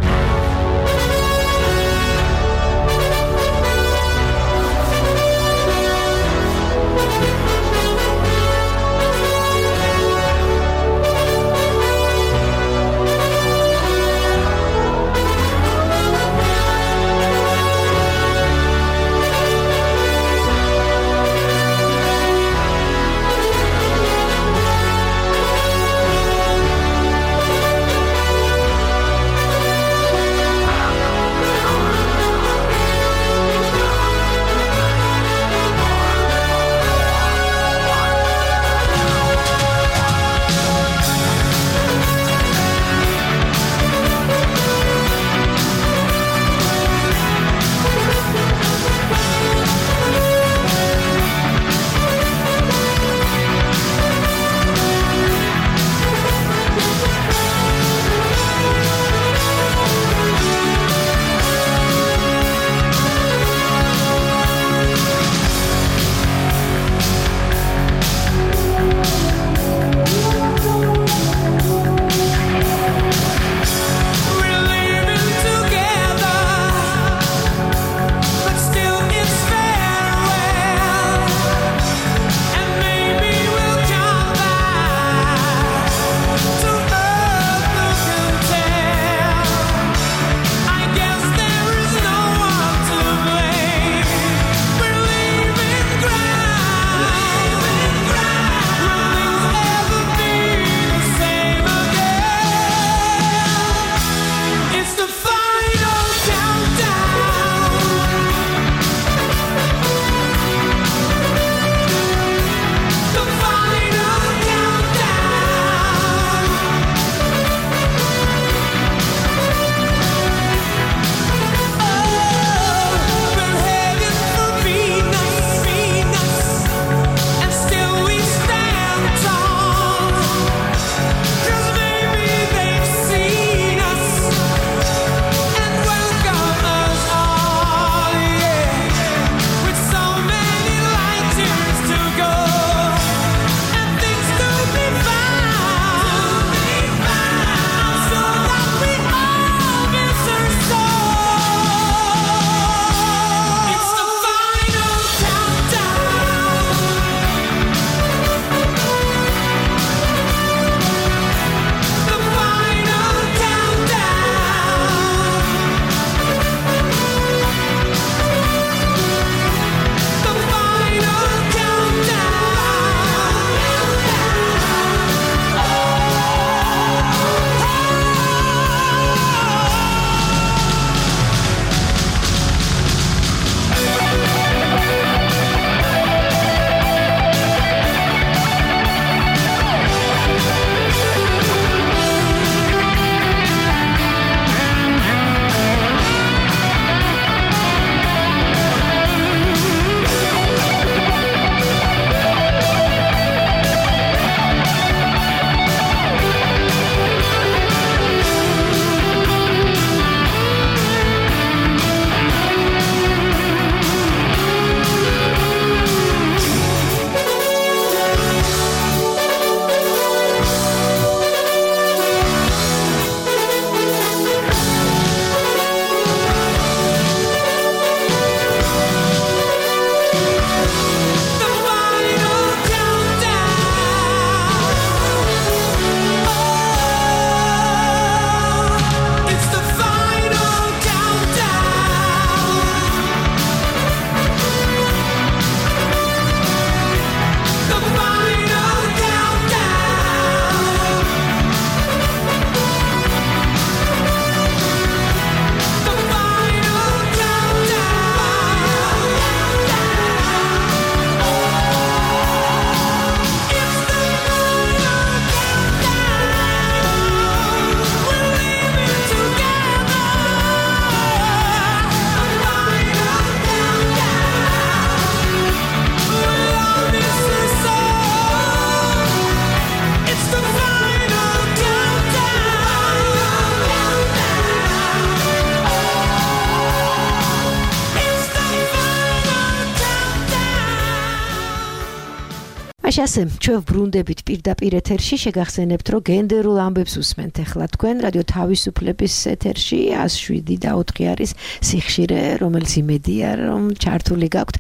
მაშინ ასე ჩვენ ბრუნდებით პირდაპირ ეთერში შეგახსენებთ რომ გენდერულ ამბებს უსმენთ ახლა თქვენ რადიო თავისუფლების ეთერში one oh seven და four არის სიხშირე რომელიც იმედია რომ ჩართული გაქვთ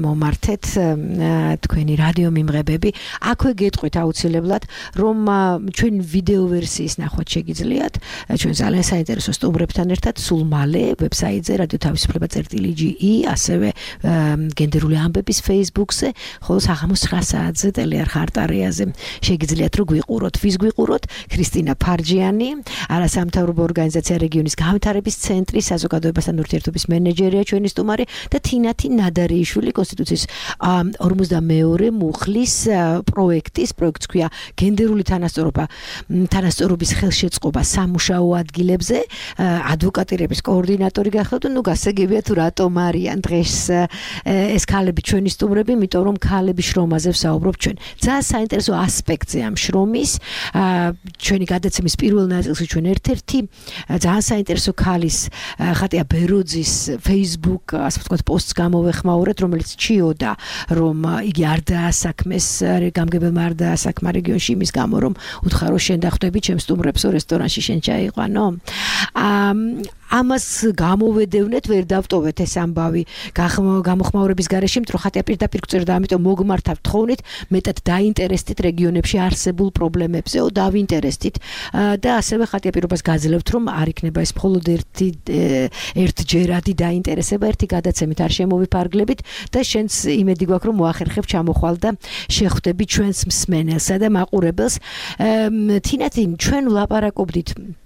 მომართეთ თქვენი რადიო მიმღებები აქვე გეტყვით აუცილებლად რომ ჩვენ ვიდეო ვერსიის ნახვაც შეგიძლიათ ჩვენ ძალიან საინტერესო სტუმრებთან ერთად სულ მალე ვებსაიტზე რადიო თავისუფლება წერტილი ჯი ი ასევე გენდერული ამბების Facebook-ზე ხოლო საღამოს nine საათზე ტელეარხ არტარიაზე შეგიძლიათ რომ გვიყუროთ ვის გვიყუროთ ქრისტინა ფარჯიანი არასამთავრობო ორგანიზაცია რეგიონის განვითარების ცენტრის საზოგადოებასთან ურთიერთობის მენეჯერია ჩვენი სტუმარი და თინათი ნადარიშვილი კონსტიტუციის forty-two მუხლის პროექტის პროექტს ქვია გენდერული თანასწორობა თანასწორობის ხელშეწყობა სამუშაო ადგილებზე ადვოკატირების კოორდინატორი გახლავთ ნუ გასაგებია თუ რატომ არიან დღეს ეს ქალები ჩვენი სტუმრები იმიტომ რომ ქალების შრომაზე ვსაუბრობ ჩვენ ძალიან საინტერესო ასპექტზე ამ შრომის ჩვენი გადაცემის პირველ ნაწილში ჩვენ ერთ-ერთი ძალიან საინტერესო ქალის ხატია ბეროძის Facebook ასე ვთქვათ პოსტს გამოვეხმაურეთ რომელიც ჩიოდა რომ იგი არ დაასაქმეს გამგებელმა არ დაასაქმა რეგიონში იმის გამო რომ უთხარო შენ დახვდები ჩემს სტუმრებსო რესტორანში შენ ჩაიყვანო ამას გამოვედევნეთ ვერ დავტოვეთ ეს ამბავი გამოხმაურების გარეშე იმიტომ რომ ხატია პირდაპირ გწერდა ამიტომ მოგმართავთ თხოვნით მეტად დაინტერესდით რეგიონებში არსებულ პრობლემებზე ო დავინტერესდით და ასევე ხატია პირობას გაძლევთ რომ არ იქნება ეს მხოლოდ ერთი ერთჯერადი დაინტერესება ერთი გადაცემით არ შემოვიფარგლებით და შენს იმედი გვაქვს რომ მოახერხებ ჩამოხვალ და შეხვდები ჩვენს მსმენელსა და მაყურებელს თინათი ჩვენ ვლაპარაკობდით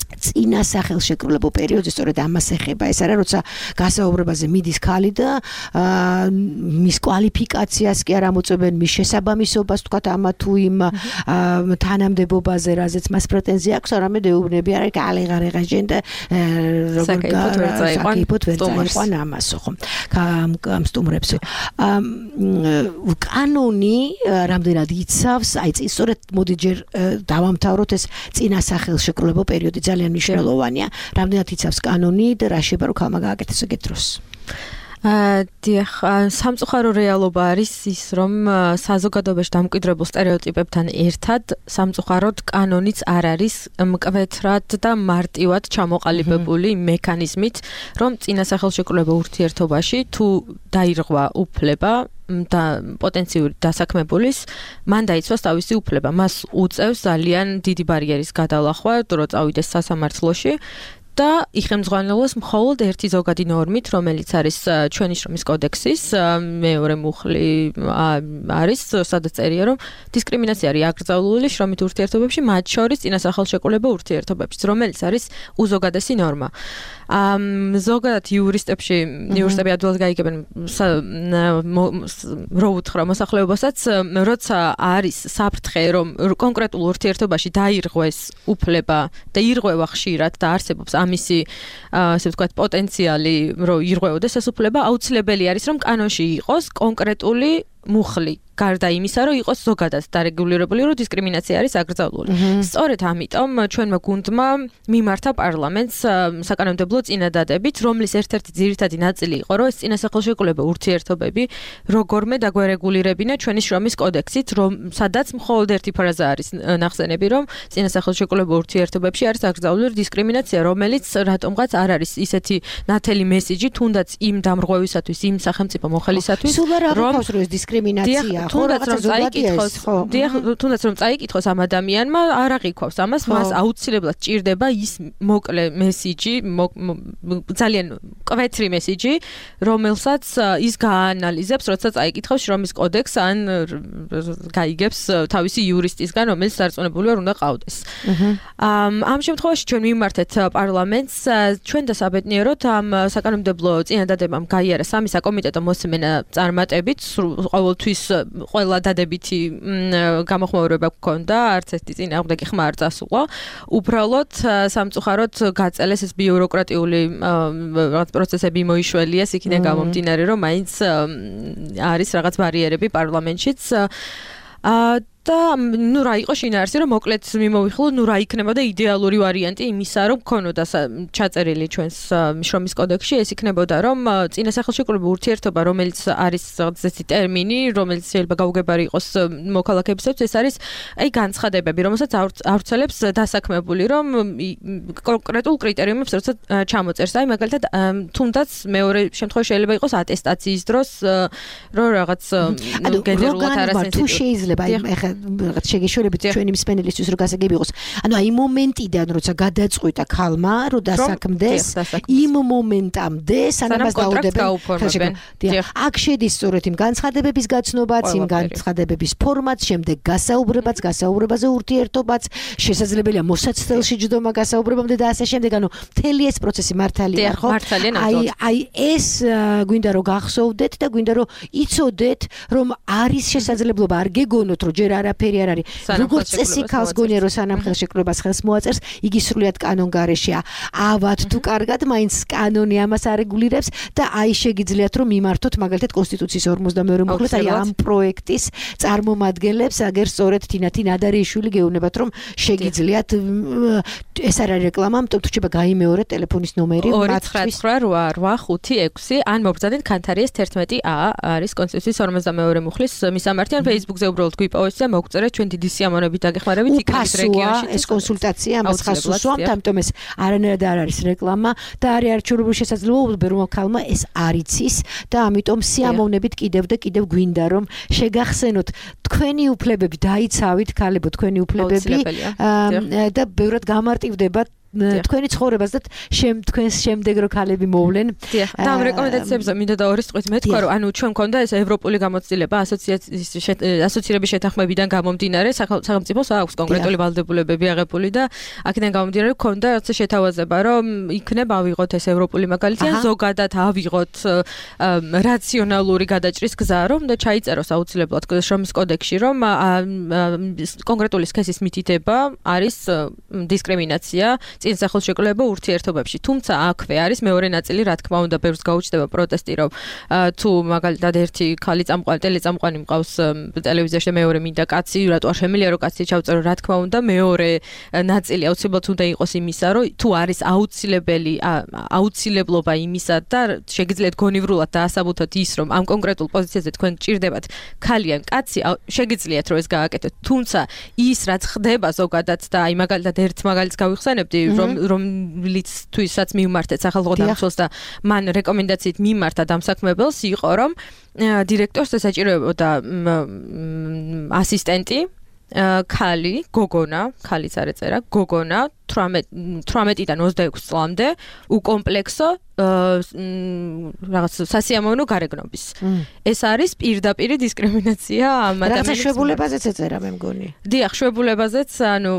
წინა სახელშეკრულებო პერიოდზე სწორედ ამას ეხება ეს არა როცა გასაუბრებაზე მიდის ქალი და მის კვალიფიკაციას კი არ ამოწმებენ მის შესაბამისობას თქვა ამა თუ იმ თანამდებობაზე რაზეც მას პრეტენზია აქვს არამედ ეუბნები არა კალეღარეღა ჟენ და როგორ საკიფოთ ვერ წაიყვან ამასო ხო ამ სტუმრებსო კანონი რამდენად იცავს აი სწორედ მოდი ჯერ დავამთავროთ ეს წინა სახელშეკრულებო პერიოდი ძალიან მნიშვნელოვანია. რამდენად იცავს კანონი და რა შეიძლება რომ ქალმა გააკეთოს ეგეთ დროს? დიახ, სამწუხარო რეალობა არის ის, რომ საზოგადოებაში დამკვიდრებულ სტერეოტიპებთან ერთად სამწუხაროდ კანონიც არ არის მკვეთრად და მარტივად ჩამოყალიბებული მექანიზმით, რომ წინასახელშეკრულებო ურთიერთობაში თუ დაირღვა უფლება და პოტენციური დასაქმებულის მან დაიცვას თავისი უფლება. მას უწევს ძალიან დიდი ბარიერის გადალახვა, რო წავიდეს სასამართლოში. და იხელმძღვანელოს მხოლოდ ერთი ზოგადი ნორმით, რომელიც არის ჩვენი შრომის კოდექსის მეორე მუხლი არის, სადაც წერია, რომ დისკრიმინაცია არის აკრძალული შრომით ურთიერთობებში, მათ შორის წინასახელშეკრულებო ურთიერთობებში, რომელიც არის უზოგადესი ნორმა. ზოგადად იურისტებში, იურისტები ადვილად გაიგებენ რო უთხრა მოსახლეობასაც, როცა არის საფრთხე, რომ კონკრეტულ ურთიერთობაში დაირღვეს უფლება და ირღვევა ხშირად და არსებობს ამისი ასე ვთქვათ პოტენციალი რომ ირღვეოდეს ეს უფლება აუცილებელი არის რომ კანონში იყოს კონკრეტული მუხლი გარდა იმისა რომ იყოს ზოგადად დარეგულირებული რომ დისკრიმინაცია არის აკრძალული. სწორედ ამიტომ ჩვენმა გუნდმა მიმართა პარლამენტს საკანონმდებლო წინადადებით, რომლის ერთ-ერთი ძირითადი ნაწილი იყო რომ ეს წინასახელშეკრულებო ურთიერთობები როგორმე დაგვერეგულირებინა ჩვენი შრომის კოდექსით, რომ სადაც მხოლოდ ერთი ფრაზა არის ნახსენები, რომ წინასახელშეკრულებო ურთიერთობებში არის აკრძალული დისკრიმინაცია, რომელიც რატომღაც არ არის ისეთი ნათელი მესიჯი, თუნდაც იმ დამრღვევისათვის, იმ სახელმწიფო მოხელისათვის, რომ ეს დისკრიმინაცია თუნდაც რომ წაიკითხოს, დიახ, თუნდაც რომ წაიკითხოს ამ ადამიანმა, არ აღიქვავს ამას, მას აუცილებლად ჭირდება ის მოკლე მესიჯი, ძალიან კვეთრი მესიჯი, რომელსაც ის გაანალიზებს, როცა წაიკითხავს შრომის კოდექსს ან გაიგებს თავისი იურისტისგან, რომელიც დარწმუნებული არ უნდა ყავდეს. ამ შემთხვევაში ჩვენ მიმართეთ პარლამენტს, ჩვენ და საბედნიეროდ ამ საკანონმდებლო წინადადებამ გაიარა სამი საკომიტეტო მოსმენა წარმატებით, ყოველთვის ყველა დადებითი გამოხმაურება გქონდა, არც ერთი წინააღმდეგი ხმა არ წასულა. უბრალოდ სამწუხაროდ გაწელეს ეს ბიუროკრატიული რაღაც პროცესები მოიშველიეს, იქიდან გამომდინარე, რომ მაინც არის რაღაც ბარიერები პარლამენტშიც. და ნუ რა იყო შინაარსი რომ მოკლედ მიმოვიხილო ნუ რა იქნებოდა იდეალური ვარიანტი იმისა რომ ქონოდა ჩაწერილი ჩვენს შრომის კოდექსში ეს იქნებოდა რომ წინასახელშეკრულებრივი ურთიერთობა რომელიც არის ზეთი ტერმინი რომელიც შეიძლება გაუგებარი იყოს მოქალაქეებისთვის ეს არის აი განცხადებები რომელსაც ავრცელებს დასაქმებული რომ კონკრეტულ კრიტერიუმებს როცა ჩამოწერს აი მაგალითად თუნდაც მეორე შემთხვევაში შეიძლება იყოს ატესტაციის დროს რომ რაღაც გენერულად არასენსიტივი თუ შეიძლება აი ეხლა რაღაც შეგეშორებით ჩვენი მსმენელისთვის რომ გასაგები იყოს ანუ აი მომენტიდან როცა გადაწყვიტა ქალმა რომ დასაქმდეს იმ მომენტამდე სანამ დაუდებენ აქ შედის სწორედ იმ განცხადებების გაცნობაც იმ განცხადებების ფორმაც შემდეგ გასაუბრებაც გასაუბრებაზე ურთიერთობაც შესაძლებელია მოსაცდელში ჯდომა გასაუბრებამდე და ასე შემდეგ ანუ მთელი ეს პროცესი მართალია ხო აი აი ეს გვინდა რომ გახსოვდეთ და გვინდა რომ იცოდეთ რომ არის შესაძლებლობა არ გეგონოთ რომ ჯერ არაფერი არ არის როგორც წესი ქალს გონია რომ სანამ ხელშეკრულებას ხელს მოაწერს იგი სრულიად კანონგარეშეა ავად თუ კარგად მაინც კანონი ამას არეგულირებს და აი შეგიძლიათ რომ მიმართოთ მაგალითად კონსტიტუციის ორმოცდამეორე მუხლით აი ამ პროექტის წარმომადგენლებს აგერ სწორედ თინათი ნადარიშვილი გეუბნებათ რომ შეგიძლიათ ეს არ არის რეკლამა ამიტომ თუ შეიძლება გაიმეორეთ ტელეფონის ნომერი ორი ცხრა ცხრა რვა ხუთი ექვსი ან მობრძანეთ ქანთარიეს თერთმეტი ა არის კონსტიტუციის ორმოცდამეორე მუხლის მისამართი ან Facebook-ზე უბრალოდ გვიპოვეთ და მოგწერეთ ჩვენ დიდი სიამოვნებით დაგეხმარებით იქნებით რეგიონში ეს კონსულტაცია ამას ხას უსვამთ ამიტომ ეს არანაირად არ არის რეკლამა და არის არჩეულებული შესაძლებლობა რომ ქალმა ეს არ იცის და ამიტომ სიამოვნებით კიდევ და კიდევ გვინდა რომ შეგახსენოთ თქვენი უფლებები დაიცავით ქალებო თქვენი უფლებები და ბევრად გამარტივდებათ თქვენი ცხოვრებას და შემ თქვენს შემდეგ რო ქალები მოვლენ და ამ რეკომენდაციებზე მინდა და ორი სწყვით მეთქვა რომ ანუ ჩვენ მქონდა ეს ევროპული გამოცდილება ასოციაციის ასოცირების შეთანხმებიდან გამომდინარე სახელმწიფოს აქვს კონკრეტული ვალდებულებები აღებული და აქედან გამომდინარე მქონდა რაღაც შეთავაზება რომ იქნება ავიღოთ ეს ევროპული მაგალითი ან ზოგადად ავიღოთ რაციონალური გადაჭრის გზა რომ და ჩაიწეროს აუცილებლად შრომის კოდექსში რომ კონკრეტული სქესის მითითება არის დისკრიმინაცია წინასახელშეკრულებრივ ურთიერთობებში. თუმცა აქვე არის მეორე ნაწილი, რა თქმა უნდა, ბევრს გაუჩნდება პროტესტი, რომ თუ მაგალითად ერთი ქალი წამყვანი, ტელეწამყვანი მყავს ტელევიზიაში და მეორე მინდა კაცი, რატო არ შემიძლია რომ კაცი ჩავწერო, რა თქმა უნდა, მეორე ნაწილი აუცილებლად უნდა იყოს იმისა, რომ თუ არის აუცილებელი აუცილებლობა იმისა და შეგიძლიათ გონივრულად დაასაბუთოთ ის, რომ ამ კონკრეტულ პოზიციაზე თქვენ გჭირდებათ ქალი ან კაცი, შეგიძლიათ რომ ეს გააკეთოთ. თუმცა ის რაც ხდება ზოგადად და აი მაგალითად ერთ მაგალითს გავიხსენებდი რომ რომლიც თვისაც მიმართეთ სახელმწიფო დამცველს და მან რეკომენდაციით მიმართა დამსაქმებელს იყო რომ დირექტორს ესაჭიროებოდა ასისტენტი ქალი გოგონა ქალიც არ ეწერა გოგონა თვრამეტიდან ოცდაექვსი წლამდე უკომპლექსო რაღაც სასიამოვნო გარეგნობის. ეს არის პირდაპირ დისკრიმინაცია ამ ადამიანის. რაღაც შვებულებაზეც ეწერა მე მგონი. დიახ, შვებულებაზეც, ანუ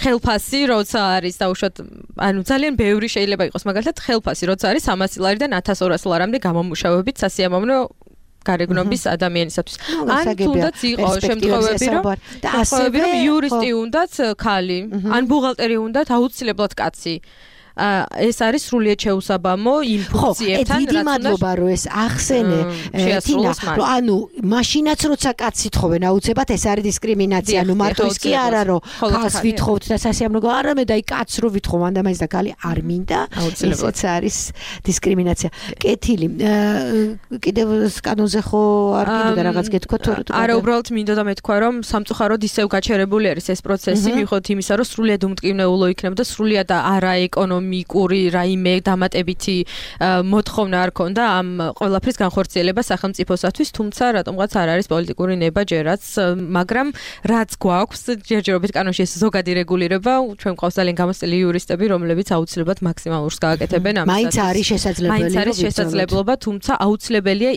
ხელფასი როცა არის დაუშვათ, ანუ ძალიან ბევრი შეიძლება იყოს მაგალითად ხელფასი როცა არის სამასი ლარიდან ათას ორასი ლარამდე გამომუშავებით სასიამოვნო გარეგნობის ადამიანისათვის. ან თუნდაც იყო შემთხვევები რომ და ასევე რომ იურისტი უნდათ ქალი, ან ბუღალტერი უნდათ აუცილებლად კაცი. ეს არის სრულიად შეუსაბამო იმ ფუნქციებთან, რაც დიდი მადლობა რომ ეს ახსენე თინა, რომ ანუ მაშინაც როცა კაცს ითხოვენ აუცილებლად ეს არის დისკრიმინაცია, ანუ მარტო ის კი არა რომ ქალს ვითხოვთ და სასიამოვნო არამედ აი კაცს რო ვითხოვ ანდამაინც და ქალი არ მინდა, ესეც არის დისკრიმინაცია. კეთილი. კიდევ კანონზე ხო არ გინდა რაღაც გეთქვა თუ არა, უბრალოდ მინდა და მეთქვა რომ სამწუხაროდ ისევ გაჩერებული არის ეს პროცესი, მიუხედავად იმისა რომ სრულიად უმტკივნეულო იქნება და სრულიად არა ეკონომიკური მიკური რაიმე დამატებითი მოთხოვნა არ ქონდა ამ ყველაფრის განხორციელება სახელმწიფოსათვის, თუმცა რატომღაც არ არის პოლიტიკური ნება ჯერაც, მაგრამ რაც გვაქვს ჯერჯერობით კანონში ეს ზოგადი რეგულირება, ჩვენ გვყავს ძალიან გამოცდილი იურისტები, რომლებიც აუცილებლად მაქსიმალურს გააკეთებენ ამას. მაინც არის შესაძლებელი, მაინც არის შესაძლებლობა, თუმცა აუცილებელია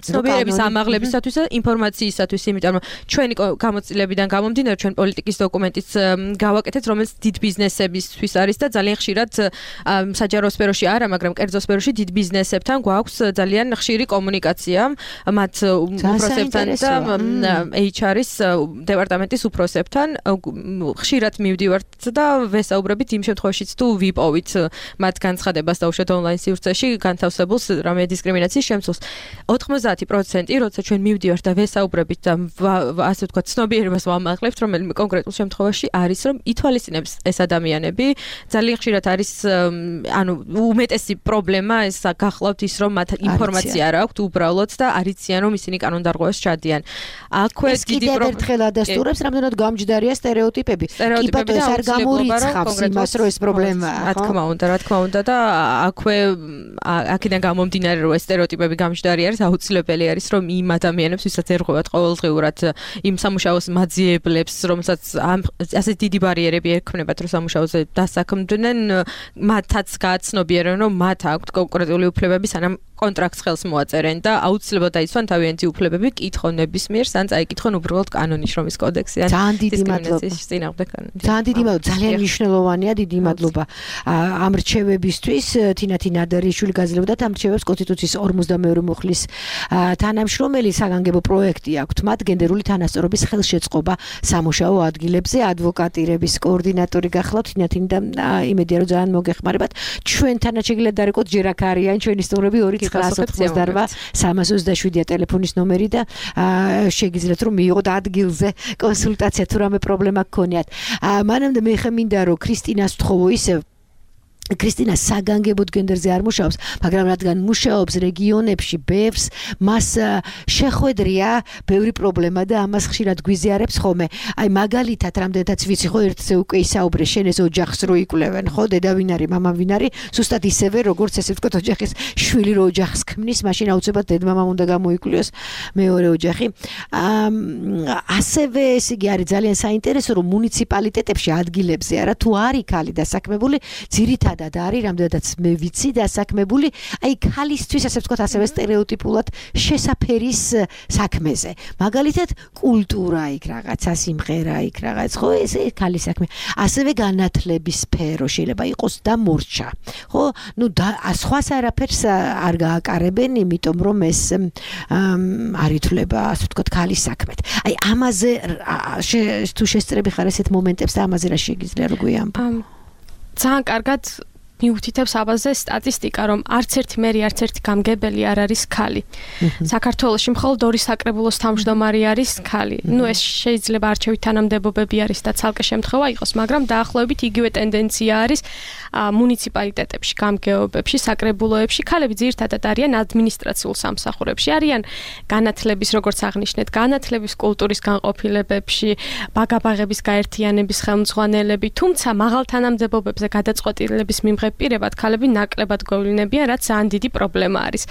ცნობიერების ამაღლებისათვის და ინფორმაციისათვის, იმიტომ რომ ჩვენი გამოცდილებიდან გამომდინარე ჩვენ პოლიტიკის დოკუმენტიც გავაკეთეთ, რომელიც დიდ ბიზნესებისთვის არის და ძალიან ხშირად საჯარო სფეროში არა, მაგრამ კერძო სფეროში დიდ ბიზნესებთან გვაქვს ძალიან ხშირი კომუნიკაცია მათ უფროსებთან და ეიჩ არ-ის დეპარტამენტის უფროსებთან. ხშირად მივდივართ და ვესაუბრებით იმ შემთხვევაშიც თუ ვიპოვით მათ განცხადებას დაუშვათ ონლაინ სივრცეში განთავსებულს რამე დისკრიმინაციის შემცვლელს. ოთხმოცდაათი პროცენტი როცა ჩვენ მივდივართ და ვესაუბრებით და ასე ვთქვათ ცნობიერებას ვამაღლებთ რომელიმე კონკრეტულ შემთხვევაში არის რომ ითვალისწინებს ეს ადამიანები ძალიან ხშირად არის ანუ უმეტესი პრობლემა ეს გახლავთ ის რომ მათ ინფორმაცია არ აქვთ უბრალოდ და არიციან რომ ისინი კანონდარღვევას ჩადიან. აქვე დიდი პრობლემა ერთხელ ადასტურებს რამდენად გამჯდარია სტერეოტიპები. კი ბატონო ეს არ გამორიცხავს იმას რომ ეს პრობლემაა. რა თქმა უნდა, რა თქმა უნდა და აქვე აქედან გამომდინარე რომ ეს სტერეოტიპები გამჯდარი არის აუცილებელი არის რომ იმ ადამიანებს ვისაც ერღვევათ ყოველდღიურად იმ სამუშაოს მაძიებლებს რომელსაც ასე დიდი ბარიერები ექმნებათ რომ სამუშაოზე დასაქმდნენ მათაც გააცნობიერონ რომ მათ აქვთ კონკრეტული უფლებები სანამ კონტრაქტს ხელს მოაწერენ და აუცილებლად დაიცვან თავიანთი უფლებები კითხონ ნებისმიერს ან წაიკითხონ უბრალოდ კანონის შრომის კოდექსი ან დისკრიმინაციის წინააღმდეგ კანონი. ძალიან დიდი მადლობა, ძალიან მნიშვნელოვანია, დიდი მადლობა ამ რჩევებისთვის. თინათი ნადარიშვილი გაძლევდა ამ რჩევებს კონსტიტუციის ორმოცდამეორი მუხლის თანამშრომელი საგანგებო პროექტი აქვთ მათ გენდერული თანასწორობის ხელშეწყობა სამუშაო ადგილებზე ადვოკატირების კოორდინატორი გახლავთ თინათი და იმედია რომ ძალიან მოგეხმარებათ. ჩვენთანაც შეგიძლიათ დარეკოთ ჯერ აქ არიან ჩვენი სტუმრები ორი ცხრაას ოცდაოთხ სამას ოცდაშვიდია ტელეფონის ნომერი და შეგიძლიათ რომ მიიღოთ ადგილზე კონსულტაცია თუ რამე პრობლემა გქონიათ. მანამდე მე ხე მინდა რომ ქრისტინას ვთხოვო ისევ ქრისტინა საგანგებოდ გენდერზე არ მუშაობს, მაგრამ რადგან მუშაობს რეგიონებში ბევრს, მას შეხვედრია ბევრი პრობლემა და ამას ხშირად გვიზიარებს ხოლმე. აი მაგალითად, რამდენადაც ვიცი, ხო ერთზე უკვე ისაუბრე, შენ ეს ოჯახს რო იკვლევენ, ხო, დედა ვინ არის, მამა ვინ არის, ზუსტად ისევე, როგორც ესე ვთქვათ, ოჯახის შვილი რო ოჯახს ქმნის, მაშინ აუცილებლად დედმამამ უნდა გამოიკვლიოს მეორე ოჯახი. ასევე ეს იგი არის ძალიან საინტერესო, რომ მუნიციპალიტეტებში ადგილებზე არა თუ არის ქალი დასაქმებული, ძირითადად და არის რამდენადაც მე ვიცი დასაქმებული აი ქალისთვის ასე ვთქვათ ასევე სტერეოტიპულად შესაფერის საქმეზე. მაგალითად კულტურა იქ რაღაცა სიმღერა იქ რაღაც ხო ეს ქალის საქმე. ასევე განათლების სფერო შეიძლება იყოს და მორჩა. ხო ნუ სხვას არაფერს არ გააკარებენ იმიტომ რომ ეს არ ითვლება ასე ვთქვათ ქალის საქმეთ. აი ამაზე თუ შესწრები ხარ ესეთ მომენტებს და ამაზე რა შეგიძლია რო გვიამბო? ძალიან კარგად მიუთითებს აბაზე სტატისტიკა, რომ არც ერთი მერი, არც ერთი გამგებელი არ არის ქალი. საქართველოში მხოლოდ ორი საკრებულოს თავმჯდომარე არის ქალი. ნუ ეს შეიძლება არჩევით თანამდებობები არის და ცალკე შემთხვევა იყოს, მაგრამ დაახლოებით იგივე ტენდენცია არის მუნიციპალიტეტებში, გამგეობებში, საკრებულოებში. ქალები ძირითადად არიან ადმინისტრაციულ სამსახურებში, არიან განათლების, როგორც აღნიშნეთ, განათლების კულტურის განყოფილებებში, ბაგაბაღების გაერთიანების ხელმძღვანელები, თუმცა მაღალ თანამდებობებზე გადაწყვეტილების მიმღებ პირებად ქალები ნაკლებად გოვლინებიან, რაც ძალიან დიდი პრობლემა არის.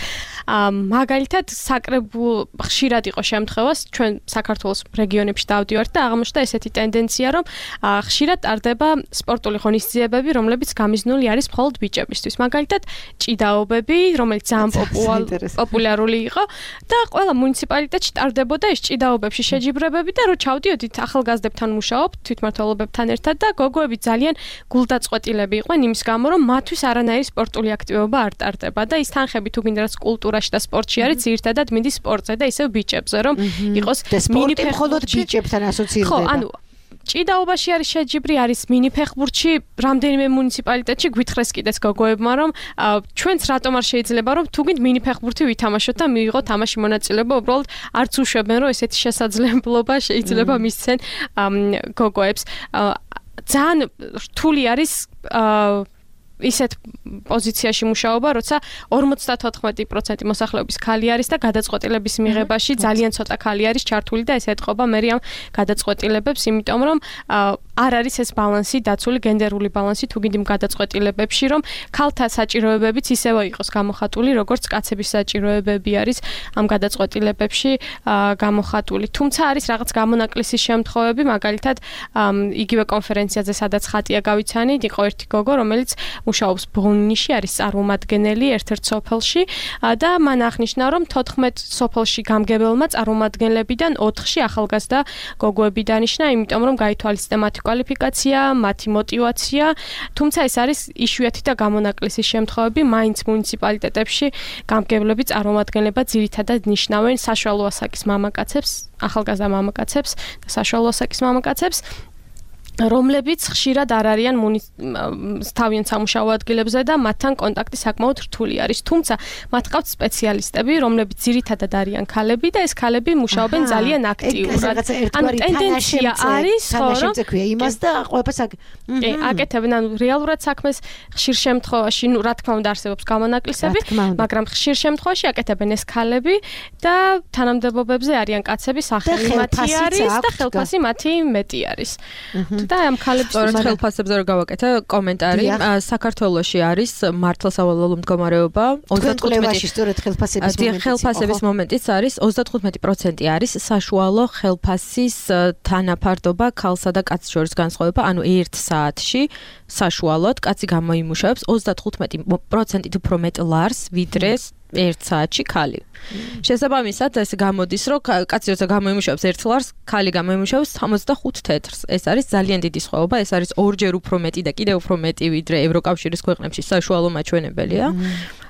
მაგალითად, საკრებულ ხშირად იყო შემთხვევა, ჩვენ საქართველოს რეგიონებში დავდივართ და აღმოჩნდა ესეთი ტენდენცია, რომ ხშირად ტარდება სპორტული ღონისძიებები, რომლებიც გამიზნული არის მხოლოდ ბიჭებისთვის. მაგალითად, ჭიდაობები, რომელიც ძალიან პოპულარული იყო და ყველა მუნიციპალიტეტში ტარდებოდა ეს ჭიდაობებში შეჯიბრებები და რო ჩავდიოდით ახალგაზრდებთან მუშაობ, თვითმმართველობებთან ერთად და გოგოები ძალიან გულდაწყვეტილები იყვნენ იმის გამო, რომ მათთვის არანაირი სპორტული აქტივობა არ ტარდება და ის თანხები თუ გინდა რაც კულტურაში და სპორტში არის ძირითადად მიდის სპორტზე და ისევ ბიჭებზე რომ იყოს მინი მხოლოდ ბიჭებთან ასოცირდება. ხო, ანუ ჭიდაობაში არის შეჯიბრი, არის მინი ფეხბურთში, რამდენიმე მუნიციპალიტეტში გვითხრეს კიდეც გოგოებმა, რომ ჩვენც რატომ არ შეიძლება რომ თუ გინდ მინი ფეხბურთი ვითამაშოთ და მიიღოთ თამაში მონაწილეობა, უბრალოდ არც უშვებენ რომ ესეთი შესაძლებლობა შეიძლება მისცენ გოგოებს. ძალიან რთული არის ისეთ პოზიციაში მუშაობა, როცა ორმოცდათოთხმეტი პროცენტი მოსახლეობის ქალი არის და გადაწყვეტილების მიღებაში ძალიან ცოტა ქალი არის ჩართული და ეს ეთყობა მე ამ გადაწყვეტილებებს, იმიტომ რომ არ არის ეს ბალანსი დაცული, გენდერული ბალანსი თუ გინდ იმ გადაწყვეტილებებში, რომ ქალთა საჭიროებებიც ისევე იყოს გამოხატული, როგორც კაცების საჭიროებები არის ამ გადაწყვეტილებებში გამოხატული. თუმცა არის რაღაც გამონაკლისის შემთხვევები, მაგალითად იგივე კონფერენციაზე, სადაც ხატია გავიცანით, იყო ერთი გოგო, რომელიც მუშაობს ბონიში, არის წარმომადგენელი ერთ-ერთ სოფელში და მან აღნიშნა, რომ თოთხმეტ სოფელში გამგებელმა წარმომადგენლებიდან ოთხში ახალგაზრდა გოგოები დანიშნა, იმიტომ რომ გაითვალისწინა მათი კვალიფიკაცია, მათი мотиваცია, თუმცა ეს არის იშვიათი და გამონაკლისი შემთხვევები, მაინც მუნიციპალიტეტებში გამგებლები წარმომადგენლება ძირითადად ნიშნავენ საშუალო ასაკის მამაკაცებს, ახალგაზრდა მამაკაცებს და საშუალო ასაკის მამაკაცებს, რომლებიც ხშირად არ არიან თავიანთ სამუშაო ადგილებზე და მათთან კონტაქტი საკმაოდ რთული არის. თუმცა მათ ყავთ სპეციალისტები, რომლებიც ძირითადად არიან ქალები და ეს ქალები მუშაობენ ძალიან აქტიურად. ანუ ტენდენცია არის, ხო, რომ იმას და ყველაფერს აკეთებენ, ანუ რეალურად საქმეს ხშირ შემთხვევაში, ну, რა თქმა უნდა არსებობს გამონაკლისები, მაგრამ ხშირ შემთხვევაში აკეთებენ ეს ქალები და თანამდებობებზე არიან კაცები, სახელი მათი არის და ხელფასი მათი მეტი არის. და ამ ქალებს სწორედ ხელფასებზე რო გავაკეთე კომენტარი, საქართველოში არის მართლსავალალო მდგომარეობა ოცდათხუთმეტი სწორედ ხელფასების მომენტიც. ხელფასების მომენტიც არის ოცდათხუთმეტი პროცენტი არის საშუალო ხელფასის თანაფარდობა ქალსა და კაცს შორის განსხვავება, ანუ ერთ საათში საშუალოდ კაცი გამოიმუშავებს ოცდათხუთმეტი პროცენტით უფრო მეტ ლარს, ვიდრე ერთ საათში ქალი. შესაბამისად, ეს გამოდის, რომ კაცი როცა გამოიმუშავებს ერთ ლარს, ქალი გამოიმუშავებს ოცდახუთ თეთრს. ეს არის ძალიან დიდი სხვაობა, ეს არის ორჯერ უფრო მეტი და კიდევ უფრო მეტი, ვიდრე ევროკავშირის ქვეყნებში საშუალო მაჩვენებელია.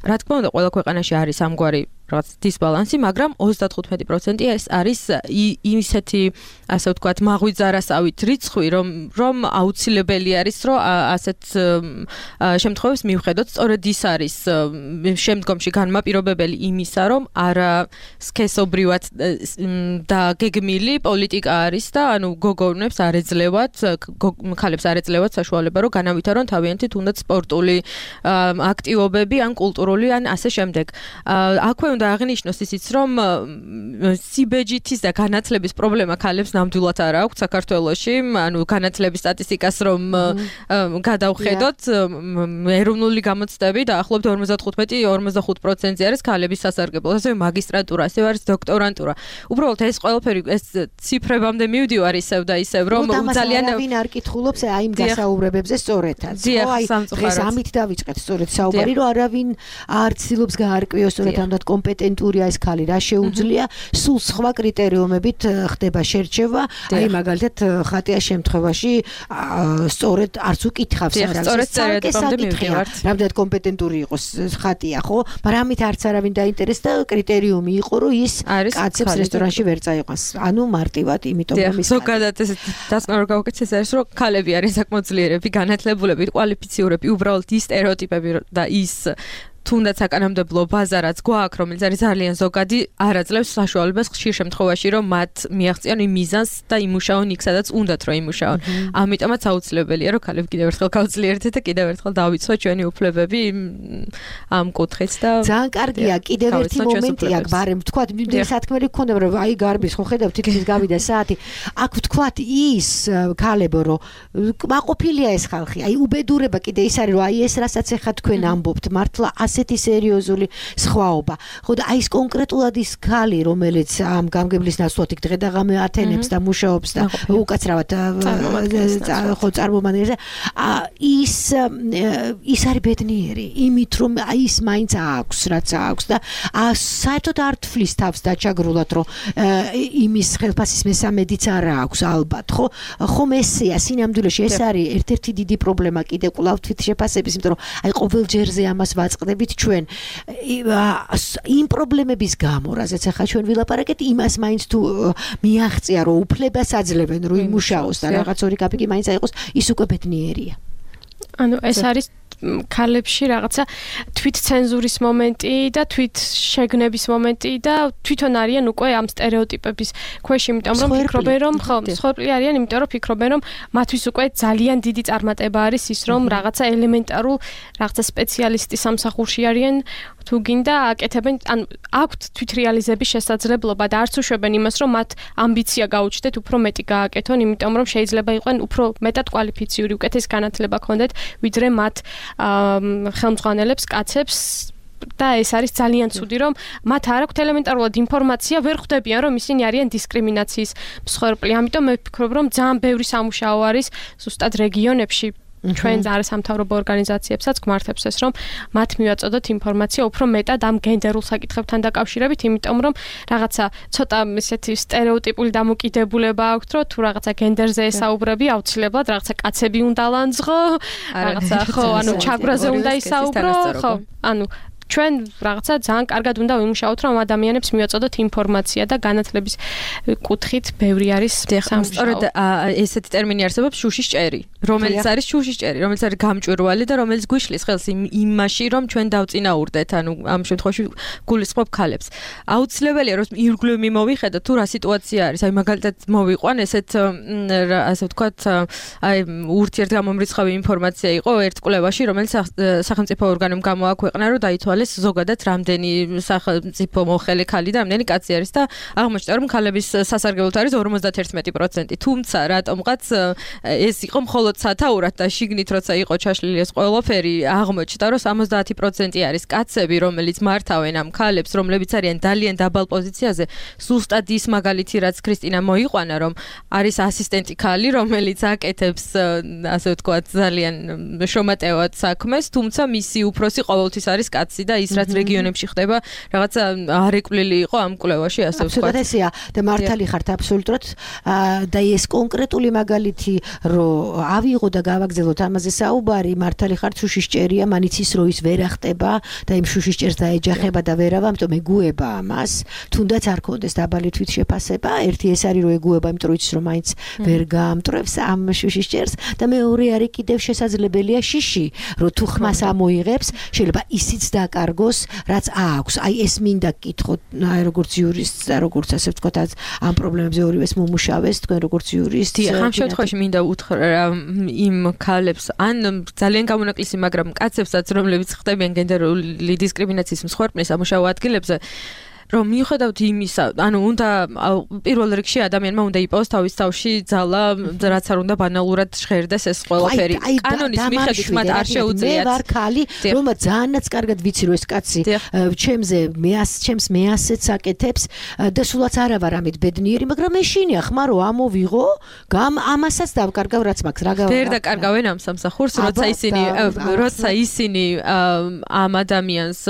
რა თქმა უნდა, ყველა ქვეყანაში არის ამგვარი რაღაც დისბალანსი, მაგრამ ოცდათხუთმეტი პროცენტი ეს არის ისეთი, ასე ვთქვათ, მაღვიძარასავით რიცხვი, რომ რომ აუცილებელი არის, რომ ასეთ შემთხვევებს მივხედოთ. სწორედ ის არის შემდგომში განმაპირობებელი იმისა, რომ არა სქესობრივად და გეგმილი პოლიტიკა არის და ანუ გოგონებს არ ეძლევათ, ქალებს არ ეძლევათ საშუალება, რომ განავითარონ თავიანთი თუნდაც სპორტული აქტივობები ან კულტურული ან ასე შემდეგ. აქვე უნდა აღნიშნოს ისიც, რომ სიბეჯითის და განათლების პრობლემა ქალებს ნამდვილად არ აქვს საქართველოში, ანუ განათლების სტატისტიკას რომ გადავხედოთ, ეროვნული გამოცდები დაახლოებით ორმოცდათხუთმეტი ორმოცდახუთ პროცენტი არის ქალების სასარგებლო, ასევე მაგისტრატურა, ასევე არის დოქტორანტურა. უბრალოდ ეს ყველაფერი ეს ციფრებამდე მივდივარ ისევ და ისევ, რომ ძალიან ვინ არ კითხულობს აი იმ გასაუბრებებზე სწორედაც. ხო, აი დღეს ამით დავიწყეთ სწორედ საუბარი, რომ არავინ არ ცდილობს გაარკვიოს სწორედ ამდენ კომპეტენტურია ეს ქალი, რა შეუძლია, სულ სხვა კრიტერიუმებით ხდება შერჩევა, აი მაგალითად ხატიას შემთხვევაში სწორედ არც უკითხავს არ არის. სწორედ წერეთამდე მივდივართ. რამდენად კომპეტენტური იყოს ხატია, ხო? მაგრამ ამით არც არავინ დაინტერესდა, კრიტერიუმი იყო, რომ ის კაცებს რესტორანში ვერ წაიყვანს. ანუ მარტივად, იმიტომ რომ ის ზოგადად ეს დასკვნარ გავაკეთე ეს არის, რომ ქალები არიან საკმაოდ ძლიერები, განათლებულები, კვალიფიციურები, უბრალოდ ის სტერეოტიპები და ის თუნდაც საკანონმდებლო ბაზა რაც გვაქვს, რომელიც არის ძალიან ზოგადი, არ აძლევს საშუალებას ხშირ შემთხვევაში, რომ მათ მიაღწიონ იმ მიზანს და იმუშაონ იქ, სადაც უნდათ რომ იმუშაონ. ამიტომაც აუცილებელია, რომ ქალები კიდევ ერთხელ გავძლიერდეთ და კიდევ ერთხელ დავიცვათ ჩვენი უფლებები ამ კუთხით და ძალიან კარგია, კიდევ ერთი მომენტია, ბარემ ვთქვათ, იმდენი სათქმელი გქონდა, რომ აი გარბის ხო ხედავ თითქმის გავიდა საათი. აქ ვთქვათ ის ქალებო, რომ მაყოფილია ეს ხალხი, აი უბედურება კიდე ის არის, რომ აი ეს რასაც ახლა თქვენ ამბობთ, მართლა ასეთი სერიოზული სხვაობა. ხო და აი ეს კონკრეტულად ის ქალი, რომელიც ამ გამგებლის ნაცვლად იქ დღე და ღამე ათენებს და მუშაობს და უკაცრავად ხო წარმომადგენელია, ის ის არის ბედნიერი, იმით რომ აი ის მაინც აქვს, რაც აქვს და საერთოდ არ თვლის თავს დაჩაგრულად, რომ იმის ხელფასის მესამედიც არ აქვს ალბათ, ხო? ხომ ესეა სინამდვილეში ეს არის ერთ-ერთი დიდი პრობლემა კიდე კვლავ თვით შეფასების, იმიტომ რომ აი ყოველ ჯერზე ამას ვაწყდებით ჩვენ იმ პრობლემების გამო, რაზეც ახლა ჩვენ ვილაპარაკეთ, იმას მაინც თუ მიაღწია, რომ უფლებას აძლევენ, რომ იმუშაოს და რაღაც ორი კაპიკი მაინც აიყოს, ის უკვე ბედნიერია. ანუ ეს არის ქალებში რაღაცა თვით ცენზურის მომენტი და თვით შეგნების მომენტი და თვითონ არიან უკვე ამ სტერეოტიპების ქვეშ, იმიტომ რომ ფიქრობენ, რომ ხო, მსხვერპლი არიან, იმიტომ რომ ფიქრობენ, რომ მათთვის უკვე ძალიან დიდი წარმატება არის ის, რომ რაღაცა ელემენტარულ რაღაცა სპეციალისტი სამსახურში არიან, თუ გინდა აკეთებენ, ანუ აქვთ თვითრეალიზების შესაძლებლობა და არც უშვებენ იმას, რომ მათ ამბიცია გაუჩნდეთ უფრო მეტი გააკეთონ, იმიტომ რომ შეიძლება იყვნენ უფრო მეტად კვალიფიციური, უკეთეს განათლება ჰქონდეთ, ვიდრე მათ ხელმძღვანელებს, კაცებს და ეს არის ძალიან ცუდი, რომ მათ არ აქვთ ელემენტარულად ინფორმაცია, ვერ ხვდებიან, რომ ისინი არიან დისკრიმინაციის მსხვერპლი. ამიტომ მე ვფიქრობ, რომ ძალიან ბევრი სამუშაო არის ზუსტად რეგიონებში ჩვენ არის სამთავრობო ორგანიზაციებსაც გვმართებს ეს, რომ მათ მივაწოდოთ ინფორმაცია უფრო მეტად ამ გენდერულ საკითხებთან დაკავშირებით, იმიტომ რომ რაღაცა ცოტა ისეთი სტერეოტიპული დამოკიდებულება აქვს, რომ თუ რაღაცა გენდერზე ესაუბრები, აუცილებლად რაღაცა კაცები უნდა ლანძღო, რაღაცა ხო, ანუ ჩაგვრაზე უნდა ისაუბრო, ხო, ანუ ჩვენ რაღაცა ძალიან კარგად უნდა ვიმუშაოთ, რომ ადამიანებს მივაწოდოთ ინფორმაცია და განათლების კუთხით ბევრი არის სამუშაო. სწორედ ესეთი ტერმინი არსებობს შუშის ჭერი, რომელიც არის შუშის ჭერი, რომელიც არის გამჭვირვალე და რომელიც გვიშლის ხელს იმაში, რომ ჩვენ დავწინაურდეთ, ანუ ამ შემთხვევაში გულისხმობ ქალებს. აუცილებელია, რომ ირგვლივ მოვიხედოთ, თუ რა სიტუაცია არის, აი მაგალითად მოვიყვან ესეთ ასე ვთქვათ, აი ურთიერთგამომრიცხავი ინფორმაცია იყო ერთ კვლევაში, რომელიც სახელმწიფო ორგანომ გამოაქვეყნა, რომ დაითვალეს ზოგადად რამდენი სახელმწიფო მოხელე ქალი და რამდენი კაცი არის და აღმოჩნდა რომ ქალების სასარგებლოდ არის ორმოცდაერთმეტი პროცენტი. თუმცა რატომღაც ეს იყო მხოლოდ სათაურად და შიგნით როცა იყო ჩაშლილი ეს ყველაფერი აღმოჩნდა რომ სამოცდაათი პროცენტი არის კაცები რომელიც მართავენ ამ ქალებს რომლებიც არიან ძალიან დაბალ პოზიციაზე. ზუსტად ის მაგალითი რაც ქრისტინა მოიყვანა რომ არის ასისტენტი ქალი რომელიც აკეთებს ასე ვთქვათ ძალიან შრომატევად საქმეს თუმცა მისი უფროსი ყოველთვის არის კაცი და ის რაც რეგიონებში ხდება რაღაცა არეკვლილი იყო ამ კვლევაში ასე ვთქვათ. აბსოლუტურად ესეა და მართალი ხართ აბსოლუტურად და ეს კონკრეტული მაგალითი რომ ავიღო და გავაგზავნოთ ამაზე საუბარი მართალი ხართ შუშის ჭერია მანიცის რო ის ვერ ახტება და იმ შუშის ჭერს დაეჯახება და ვერავა ამიტომ ეგუება ამას თუნდაც არ კონდეს დაბალი თვითშეფასება ერთი ეს არის რომ ეგუება იმიტომ რომ იცის რომ მაინც ვერ გაამტრევს ამ შუშის ჭერს და მეორე არის კიდევ შესაძლებელია შიში რომ თუ ხმას ამოიღებს შეიძლება ისიც დაკარგოს რაც აქვს აი ეს მინდა გკითხოთ აი როგორც იურისტს და როგორც ასე ვთქვათ ამ პრობლემებზე ორივეს მომუშავეს თქვენ როგორც იურისტი ამ შემთხვევაში მინდა უთხრა იმ ქალებს ან ძალიან გამონაკლისი მაგრამ კაცებსაც რომლებიც ხდებიან გენდერული დისკრიმინაციის მსხვერპლის სამუშაო ადგილებზე რომ მიუხედავთ იმისა, ანუ უნდა პირველ რიგში ადამიანმა უნდა იპოვოს თავის თავში ძალა, რაც არ უნდა ბანალურად ჟღერდეს ეს ყველაფერი. კანონის მიხედვით მათ არ შეუძლიათ. მე ვარ ხალი, რომელმაც ძალიანაც კარგად ვიცი რომ ეს კაცი ჩემზე მეას ჩემს მეასეც აკეთებს და სულაც არა ვარ ამით ბედნიერი, მაგრამ ეშინია ხმა რომ ამოვიღო, გამ ამასაც დავკარგავ რაც მაქვს, რა გავაკეთე. ვერ დაკარგავენ ამ სამსახურს, როცა ისინი როცა ისინი ამ ადამიანს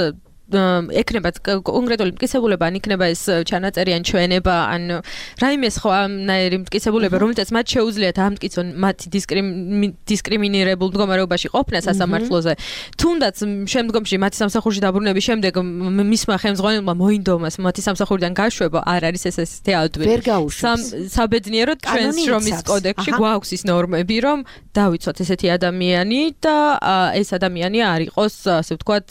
ეკნება კონკრეტული მტკიცებულება ან იქნება ეს ჩანაწერი ან ჩვენება ან რაიმეს ხო ამნაირი მტკიცებულება რომელსაც მათ შეუძლიათ ამტკიცონ მათი დისკრიმინირებულ მდგომარეობაში ყოფნა სასამართლოზე თუნდაც შემდგომში მათი სამსახურში დაბრუნების შემდეგ მისმა ხელმძღვანელმა მოინდომას მათი სამსახურიდან გაშვება არ არის ეს ესეთი ადვილი საბედნიეროდ ჩვენს შრომის კოდექსში გვაქვს ის ნორმები რომ დავიცვათ ესეთი ადამიანი და ეს ადამიანი არ იყოს ასე ვთქვათ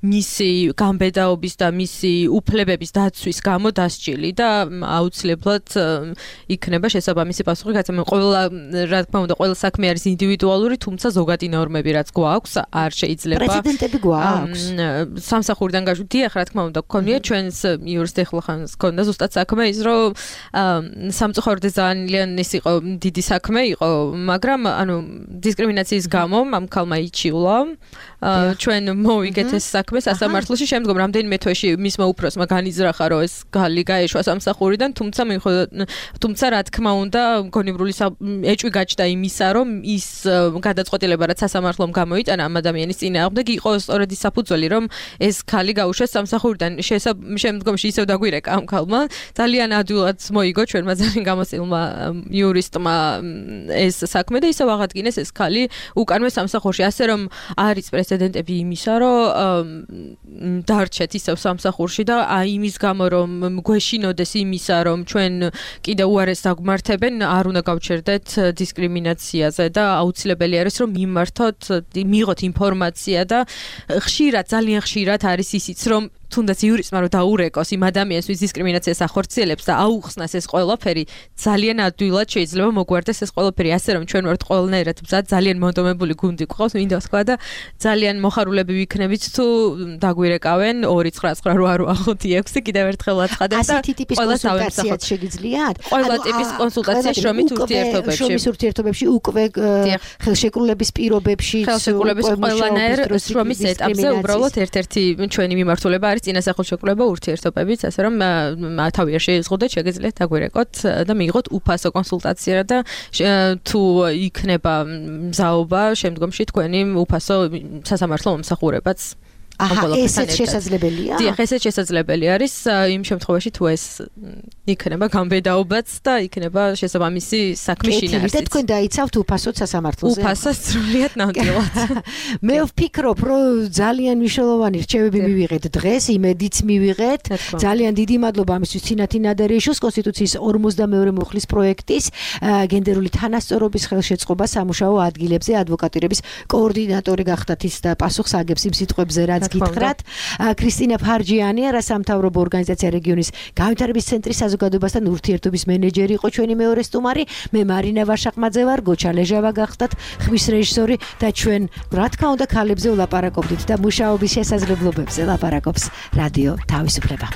მისი გამბედაობის და მისი უფლებების დაცვის გამო დასჯილი და აუცილებლად იქნება შესაბამისი პასუხი გაცემული. ყველა რა თქმა უნდა, ყველა საქმე არის ინდივიდუალური, თუმცა ზოგადი ნორმები რაც გვაქვს, არ შეიძლება პრეცედენტები გვაქვს. სამსახურიდან გაშვით, დიახ, რა თქმა უნდა, გქონია ჩვენს იურისტ ეხლა ხანს გქონდა ზუსტად საქმე ის, რომ სამწუხაროდ ძალიან ის იყო დიდი საქმე იყო, მაგრამ ანუ დისკრიმინაციის გამო ამ ქალმა იჩიულა ჩვენ მოვიგეთ ეს საქმე სასამართლოში შემდგომ რამდენიმე თვეში მისმა უფროსმა განიზრახა რომ ეს გალი გაეშვა სამსახურიდან თუმცა თუმცა რა თქმა უნდა გონივრული ეჭვი გაჩნდა იმისა რომ ის გადაწყვეტილება რაც სასამართლომ გამოიტანა ამ ადამიანის წინააღმდეგ იყო სწორედ ის საფუძველი რომ ეს გალი გაუშვეს სამსახურიდან შემდგომში ისევ დაგვირეკა ამ ქალმა ძალიან ადვილად მოიგო ჩვენმა ძალიან გამოსილმა იურისტმა ეს საქმე და ისევ აღადგინეს ეს გალი უკანვე სამსახურში ასე რომ არის პრეცედენტები იმისა რომ დარჩეთ ისევ სამსახურში და აი იმის გამო რომ გვეშინოდეს იმისა რომ ჩვენ კიდე უარეს დაგმართებენ არ უნდა გავჩერდეთ დისკრიმინაციაზე და აუცილებელი არის რომ მიმართოთ მიიღოთ ინფორმაცია და ხშირად ძალიან ხშირად არის ისიც რომ თუნდაც იურისტმა რომ დაურეკოს იმ ადამიანს ვის დისკრიმინაციას ახორციელებს და აუხსნას ეს ყველაფერი ძალიან ადვილად შეიძლება მოგვარდეს ეს ყველაფერი ასე რომ ჩვენ ვართ ყველნაირად მზად ძალიან მონდომებული გუნდი გვყავს მინდა ვთქვა და ძალიან მოხარულები ვიქნებით თუ დაგვირეკავენ ორი ცხრა ცხრა რვა ხუთი ექვსი კიდევ ერთხელ აცხადებ და ასეთი ტიპის კონსულტაციაც შეგიძლიათ ყველა ტიპის კონსულტაცია შრომის ურთიერთობებში შრომის ურთიერთობებში უკვე ხელშეკრულების პირობებში ხელშეკრულების ყველანაირ შრომის ეტაპზე უბრალოდ ერთ-ერთი ჩვენი მიმართულება არის არის წინასახელშეკრულება ურთიერთობებით, ასე რომ თავი არ შეიზღუდეთ, შეგიძლიათ დაგვირეკოთ და მიიღოთ უფასო კონსულტაცია და თუ იქნება მზაობა შემდგომში თქვენი უფასო სასამართლო მომსახურებაც აჰა, ესეც შესაძლებელია? დიახ, ესეც შესაძლებელი არის იმ შემთხვევაში თუ ეს იქნება გამბედაობაც და იქნება შესაბამისი საქმის შინაარსიც. და თქვენ დაიცავთ უფასოდ სასამართლოზე? უფასოდ სრულიად ნამდვილად. მე ვფიქრობ, რომ ძალიან მნიშვნელოვანი რჩევები მივიღეთ დღეს, იმედიც მივიღეთ. ძალიან დიდი მადლობა ამისთვის ცინათი ნადარეიშვილს, კონსტიტუციის ორმოცდამეორე მუხლის პროექტის გენდერული თანასწორობის ხელშეწყობა სამუშაო ადგილებზე ადვოკატირების კოორდინატორი გახდათ ის და პასუხს აგებს იმ სიტყვებზე, რაც გითხრათ. ქრისტინა ფარჯიანია, რასამთავრობო ორგანიზაცია რეგიონის განვითარების ცენტრის საზოგადოებასთან ურთიერთობის მენეჯერი იყო ჩვენი მეორე სტუმარი. მე მარინა ვარშაყმაძე ვარ, გოჩა ლეჟავა გახდათ ხმის რეჟისორი და ჩვენ რა თქმა უნდა ქალებზე ვლაპარაკობდით და მუშაობის შესაძლებლობებზე ლაპარაკობს რადიო თავისუფლება.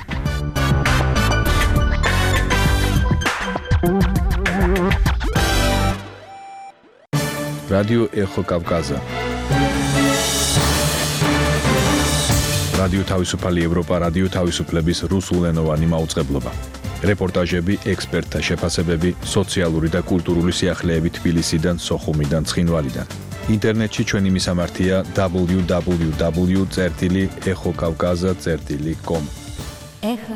რადიო ეხო კავკაზა. რადიო თავისუფალი ევროპა, რადიო თავისუფლების რუსულენოვანი მაუწყებლობა. რეპორტაჟები, ექსპერტთა შეფასებები, სოციალური და კულტურული სიახლეები თბილისიდან, სოხუმიდან, ცხინვალიდან. ინტერნეტში ჩვენი მისამართია დაბლიუ დაბლიუ დაბლიუ წერტილი ეხო კავკაზა წერტილი კომ. ეხო